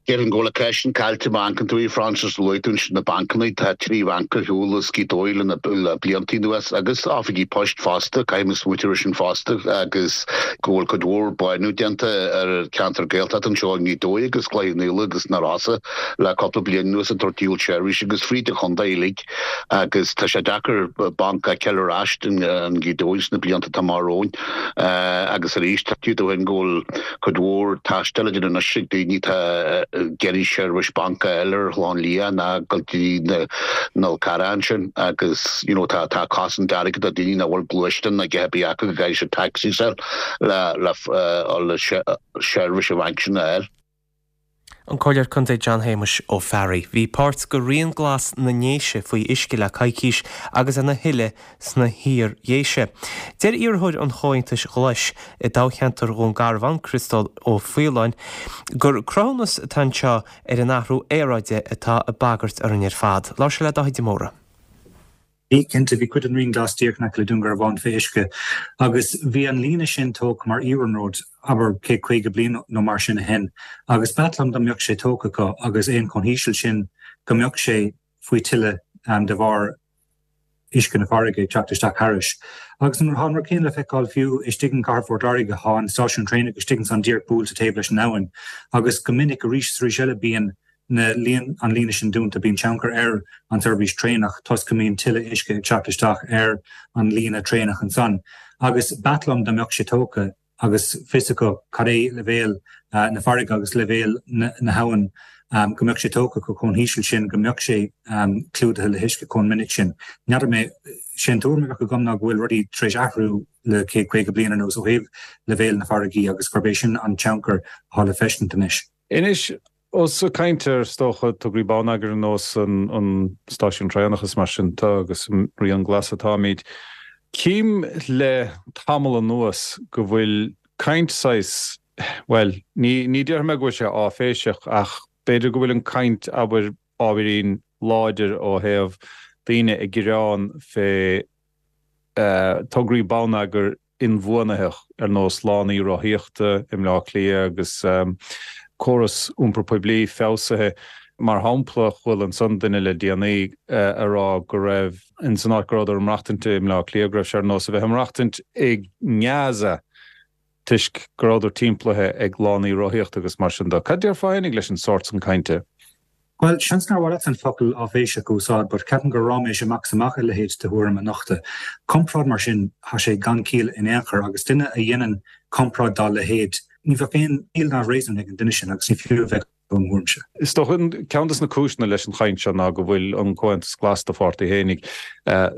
Déarfainn go bhfuil an ceist sin caillte má amharcann tú a Francis, luaigh tú ansin na bancanna, tá 3 bhanc ar shiúl as Gaoth Dobhair le le blianta anuas agus oifigí poist fosta, caithfidh mé smaoitiú air sin fosta agus go bhfuil cuid mhór bánú déanta ar an cheantar Gaeltachta anseo i nGaoth Dobhair agus Cloich Cheann Fhaola agus na Rosa le cúpla bliain anuas ag tabhairt díol seirbhíse agus fríd an chontae uilig agus tá sé deacair banc a fheiceáil ar ais i nGaoth Dobhair sna blianta atá amach romhainn agus arís tá tú féin go bhfuil Cuid mhór taistil á déanamh anois ag daoine atá ag iarraidh seirbhís banc a fháil ar an Chlochán Liath ná dul go dtí na Nol Cearra ansin agus you know tá tá cosaint airgid do daoine nach bhfuil gluaisteán ná a dhath ar bith acu go gcaithfidh siad taxi a fháil le le le seirbhís an bhainc sin a fháil. An Comhairleoir Contae John Shéamuis Ó Fearraigh. Bhí páirt de Rian Glas na nDéise faoi uisce le coicís agus ina thuilleadh sna hIar-Dhéise. Deir iarrthóir an Chomhaontais Ghlais i dtoghcheantar Dhún Garbhán, Criostal Ó Faoláin, gur cruthúnas atá anseo ar an athrú aeráide atá ag bagairt orainn ar fad. Labhair sé le Dáithí de Mórdha. Bhí, cinnte. Bhí cuid den Rian Glas díreach in aice le Dún Garbhán fé uisce agus bhí an líne sin tógtha mar iarnród, abair, 150 bliain nó mar sin ó shin agus b'ait liom dá mbeadh sé tógtha acu agus é chomh híseal sin go mbeadh sé faoi tuile de bharr uisce na farraige ag teacht isteach thairis. Agus tá an rud céanna le feiceáil fiú istigh in gcathair Phort Láirge, tá an stáisiún traenach istigh ansan díreach buailte taobh leis an abhainn agus go minic arís is arís eile bíonn na an líne sin dúnta, bíonn tionchar ar an tseirbhís traenach toisc go mbíonn tuilleadh uisce ag teacht isteach ar an líne traenach ansan. Agus b'ait liom dá mbeadh sé tógtha agus fios acu cad é leibhéal na farraige agus leibhéal na habhann, go mbeadh sé tógtha acu chomh híseal sin go mbeadh sé clúdaithe le huisce chomh minic sin. N'fheadar mé, sé an tuairim a bheadh agam ná go bhfuil rudaí tar éis athrú le 150 bliain anuas ó thaobh leibhéal na farraigí agus gurb é sin an tionchar atá le feiscint anois. Anois, ós ag caint ar, is dócha, tograí bonneagair ar nós an stáisiún traenach is mar sin de agus an Rian Glas atáimid, cím le tamall anuas go bhfuil caint saghas, bhuel, ní, ní déarfaidh mé go bhfuil sé áiféiseach ach b'fhéidir go bhfuil an caint, abair, ábhairín láidir ó thaobh daoine ag gearán fé tograí bonneagair inbhuanaitheach ar nós lánaí rothaíochta i mBleá Cliath agus córas iompar poiblí feabhsaithe. Mar shampla, chuala ansan duine le déanaí a rá go raibh, ins an áit go rabhadar ag maireachtaint i mBleá Cliath, go raibh sé ar nós a bheith ag maireachtaint i nGaza toisc go rabhadar timpeallaithe ag lánaí rothaíochta agus mar sin de. Cad déarfá fhéinig leis an sórt san cainte? Bhuel, seans nár mhaith leat an focal áiféiseach a úsáid but ceapaim gur ráiméis amach is amach a leithéid de thuairim a nochtadh. Comparáid mar sin, tá sé gan ciall in aon chor agus duine a dhéanann comparáid dá leithéid, ní bheadh aon chiall ná réasún ag an duine sin agus ní fiú a bheith i mo thuairimse. Is dócha, ceann des na cúiseanna leis an chaint seo ná go bhfuil an Comhaontas Glas, do pháirtí fhéinig,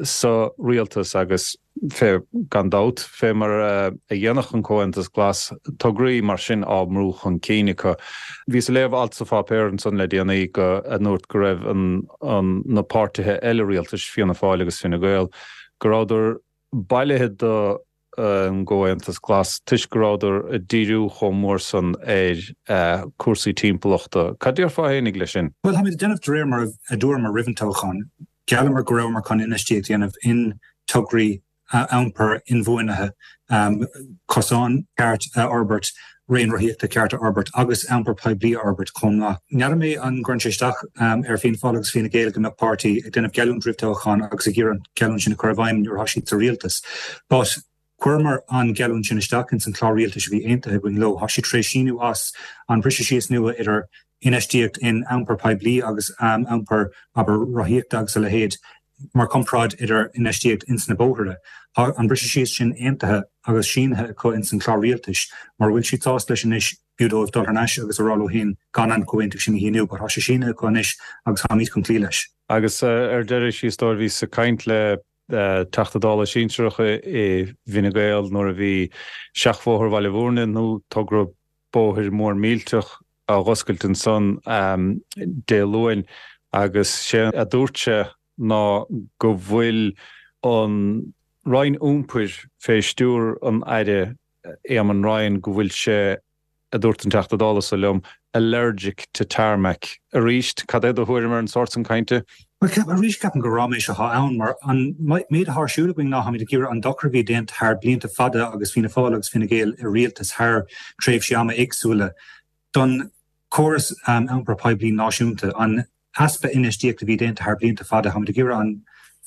sa rialtas agus fé, gan dabht, fé mar a dhéanfadh an Comhaontas Glas tograí mar sin á mbrú chun cinn acu. Bhíos ag léamh alt sa pháipéar ansan le déanaí go a ndúirt go raibh an an na páirtithe eile rialtais, Fianna Fáil agus Fine Gael, go rabhadar bailithe do an gComhaontas Glas toisc go rabhadar ag díriú chomh mór san ar cúrsaí timpeallachta. Cad déarfá fhéinig leis sin? Bhuel, táimid ag déanamh de réir mar a dúramar roimh an toghchán. Gheallamar go rabhamar chun infheistíocht a dhéanamh in tograí iompair inbhuanaithe, cosán ceart a fhorbairt, raon rothaíochta ceart a fhorbairt agus iompar poiblí a fhorbairt chomh maith. N'fheadar mé an gcuireann sé isteach ar Fianna Fáil agus Fine Gael go mbeadh páirtí ag déanamh geallúint roimh toghchán agus ag iarraidh an geallúint sin a chur i bhfeidhm nuair atá siad sa rialtas. But chuireamar an geallúint sin isteach ins an chlár rialtais a bhí aontaithe againn leo. Tá siad tar éis síniú as an briseadh síos nua idir infheistíocht in iompar poiblí agus iompar, abair, rothaíochta agus a leithéid, mar chomparáid idir infheistíocht ins na bóithre. Tá an briseadh síos sin aontaithe agus sínithe acu ins an chlár rialtais. Mura bhfuil siad sásta leis anois, b'fhiú dóibh dul thar n-ais agus a rá leo féin gan an comhaontú sin a shíniú. But tá sé sínithe acu anois agus táimid chun cloí leis. Agus ar deireadh siar, is dóigh, bhíos ag caint le Teachta Dála sinsearach i bhFine Gael nuair a bhí Seachbhóthar Bhaile Bhúirne nó togra bóthair mór millteach á dh'oscailt ansan Dé Luain agus sé a dúirt sé ná go bhfuil an Roinn Iompair fé stiúr an Aire Éamon Ryan go bhfuil sé, a dúirt an Teachta Dála so liom, allergic to tarmac. Arís, cad é do thuairim ar an sórt san cainte? Bhuel, ceapaim, arís, ceapaim gur ráiméis atá ann, mar an méid atá ar siúl againn ná táimid ag iarraidh an dochar a bhí déanta thar blianta fada agus Fianna Fáil agus Fine Gael i rialtas thar tréimhsí ama éagsúla don. Córas iompair poiblí náisiúnta, an easpa infheistíochta a bhí déanta thar blianta fada, táimid ag iarraidh an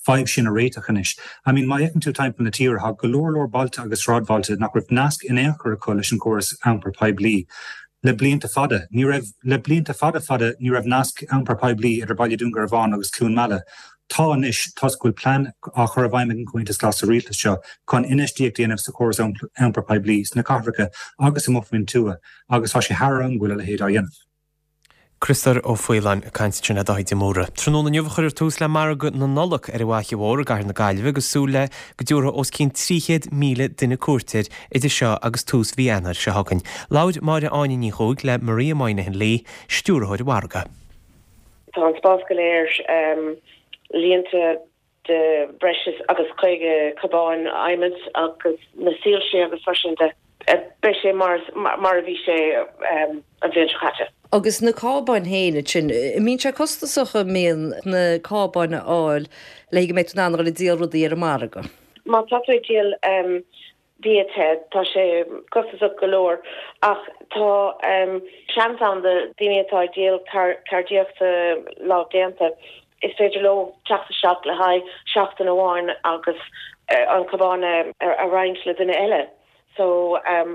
fadhb sin a réiteach anois. I mean, má fhéachann tú timpeall na tíre, tá go leor leor bailte agus sráidbhailte nach raibh nasc in aon chor acu leis an gcóras iompair poiblí le blianta fada. Ní raibh, le blianta fada fada, ní raibh nasc iompair poiblí idir Baile Dún Garbhán agus Cluain Meala. Tá anois, toisc go bhfuil plean á chur i bhfeidhm ag an Chomhaontas Glas sa rialtas seo chun infheistíocht a dhéanamh sa chóras iompair poiblí sna cathracha agus amuigh faoin tuath agus tá sé thar am go bhfuil a leithéid á dhéanamh. Criostóir Ó Faoláin ag caint ansin le Dáithí de Mórdha. Tráthnóna inniu a chuirfear tús le margadh na Nollag ar an bhFaiche Mhór i gcathair na Gaillimhe agus súil le go dtabharfaidh os cionn 300,000 duine cuairt air idir seo agus tús mhí Eanáir seo chugainn. Labhair Máire Áine Ní Chuaig le Maria Moynihan Lee, Stiúrthóir an Mhargaidh. Tá an spás go léir líonta de breis agus 50 cábán adhmaid agus na soilse agus mar sin de. Beidh sé mar mar a bhí sé an bhliain seo caite. Agus na cábáin féin ansin, an mbíonn sé costasach an mbíonn na cábáin a fháil le go mbeidh tú in ann a dhul ag díol rudaí ar an margadh? Má tá tú ag díol bia te, tá sé costasach go leor ach tá seans ann do daoine atá ag díol ceardaíochta lámhdéanta, is féidir leo teacht isteach le haghaidh seachtain amháin agus an cabán a roinnt le duine eile. So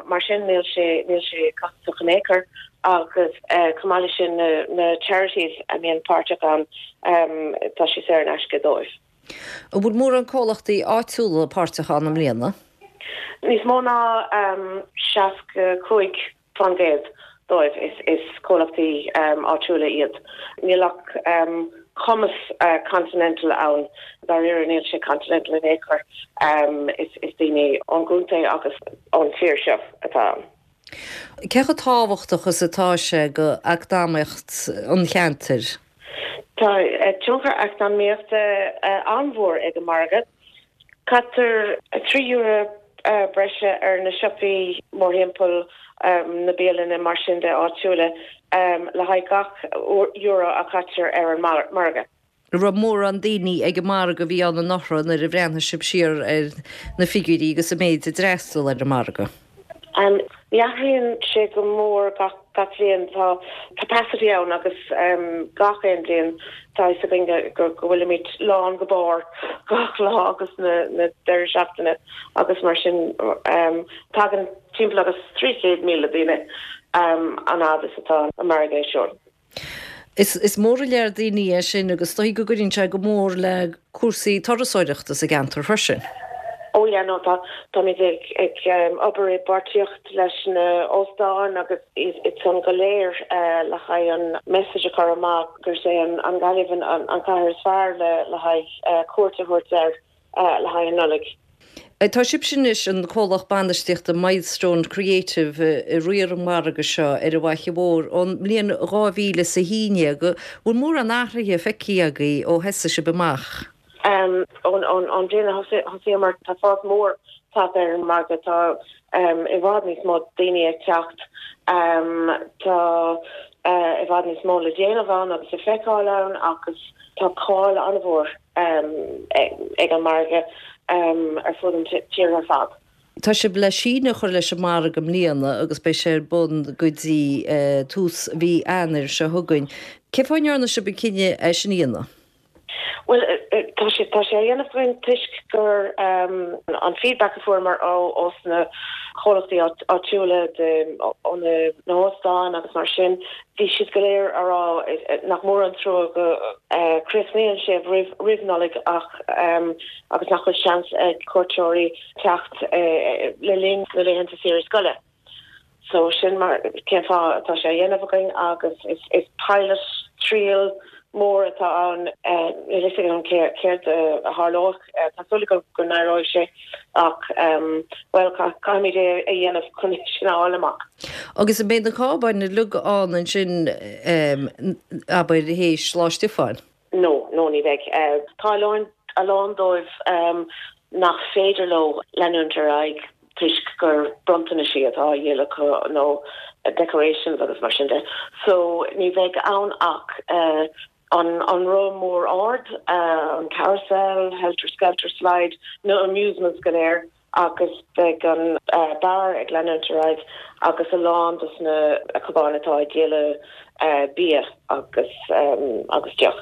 mar sin níl sé níl sé costasach in aon chor agus chomh maith leis sin na charities a mbíonn páirteach ann tá sé saor in aisce dóibh. An bhfuil mórán comhlachtaí áitiúla páirteach ann i mbliana? Níos mó ná 65% dóibh is comhlachtaí áitiúla iad. Níl ach cumas continental ann. Dáiríre níl sé continental in aon chor. Is daoine ón gcontae agus ón tír seo atá ann. Cé chomh tábhachtach is atá sé go eacnamaíocht an cheantair? Tá tionchar eacnamaíochta an-mhór ag an margadh. Caitear €3 breise ar na siopaí mórthimpeall, na bialanna mar sin de áitiúla, le haghaidh gach euro a chaitear ar an margadh. An raibh mórán daoine ag an margadh a bhí ann anuraidh nuair a bhreathnaigh sibh siar ar na figiúirí agus an méid a d'fhreastail ar an margadh? Ní athraíonn sé go mór gach bliain. Tá capacity ann agus gach aon bhliain tá fhios againn go bhfuilimid lán go barr gach lá agus na deireadh seachtaine agus mar sin tagann timpeall agus 300,000 daoine an fhad is atá an margadh ar siúl. Is mór an lear daoine é sin agus is dóigh go gcuireann sé go mór le cúrsaí turasóireachta sa gceantar freisin. Oh yeah no tá táimid ag ag obair i bpáirtíocht leis na óstáin agus iad san go léir le haghaidh an message a chur amach gur é an Ghaillimh an an cathair is fearr le le haghaidh cuairt a thabhairt air. le haghaidh an Nollaig. Tá sibhse anois, an comhlacht bainistíochta Milestone Creative, ag riar an mhargaidh seo ar an bhFaiche Mhór ón mbliain 2011. An bhfuil mórán athraithe feicthe agaibh ó thosaigh sibh amach? Ón bhliain a thosaíomar, tá fás mór tagtha ar an margadh. Tá i bhfad níos mó daoine ag teacht. Tá i bhfad níos mó le déanamh ann agus le feiceáil ann agus tá cáil an-mhór ag an margadh ar fud an tír ar fad. Tá sibh le síneadh a chur leis an margadh i mbliana agus beidh sé ar bun go dtí tús mhí Eanáir seo chugainn. Cén fáth a ndearna sibh an cinneadh é sin a dhéanamh? Bhuel, tá sé tá sé á dhéanamh againn toisc gur an feedback a fuaireamar ó ós na comhlachtaí áitiúla de ó na hóstáin agus mar sin, Bhí siad go léir á rá nach mór an trua go críochnaíonn sé roimh Nollaig ach agus nach bhfuil seans ag cuairteoirí teacht le linn na laethanta saoire scoile. So sin mar cén fáth atá sé á dhéanamh againn agus is pilot, triail mór atá ann. Níl a fhios agam céard a tharlóidh. Tá súil agam go n-éireoidh sé ach, bhuel, caithfimid é a dhéanamh chun é sin a fháil amach. Agus an mbeidh na cábáin uilig ann ansin, abair, théis Lá Stiofáin? No, no, ní bheidh. Tá a lán, a lán dóibh nach féidir leo leanúint ar aghaidh toisc gur bronntanaisí atá á dhíol acu nó decorations agus mar sin de. So ní bheidh ann ach an roth mór ard, an carousel, helter skelter slide, na amusements go léir. Agus beidh an beár ag leanúint ar aghaidh agus a lán dos na cupáin atá ag díol bia agus agus deoch.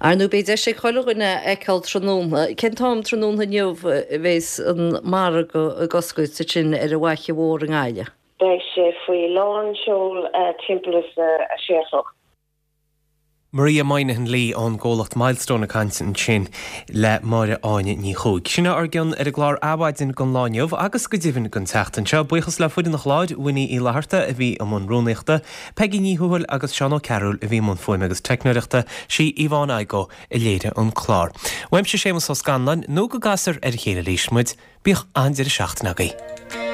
Ar ndóigh beidh deis ag chuile dhuine a fheiceáil tráthnóna. Cén t-am tráthnóna inniu a bheas an margadh ag oscailt ansin ar an bhFaiche Mhór i nGaillimh? Beidh sé faoi lán seol timpeall is a sé a chlog. Maria Moynihan-Lee ón gcomhlacht Milestone ag caint ansin le Máire Áine Ní Chuaig. Sin é ár gcion ar an gclár Adhmhaidin don lá inniu agus go deimhin don tseachtain seo. Buíochas le foireann an chláir, Winnie Uí Fhlatharta a bhí i mbun rúnaíochta, Peigí Ní Thuathail agus Seán Ó Cearúil a bhí i mbun fuaime agus teicneoireachta, sí Yvonne Igoe a léirigh an clár. Uaimse Séamus Ó Scanláin, nó go gcasfar ar a chéile arís muid, bíodh an-deireadh seachtaine agaibh.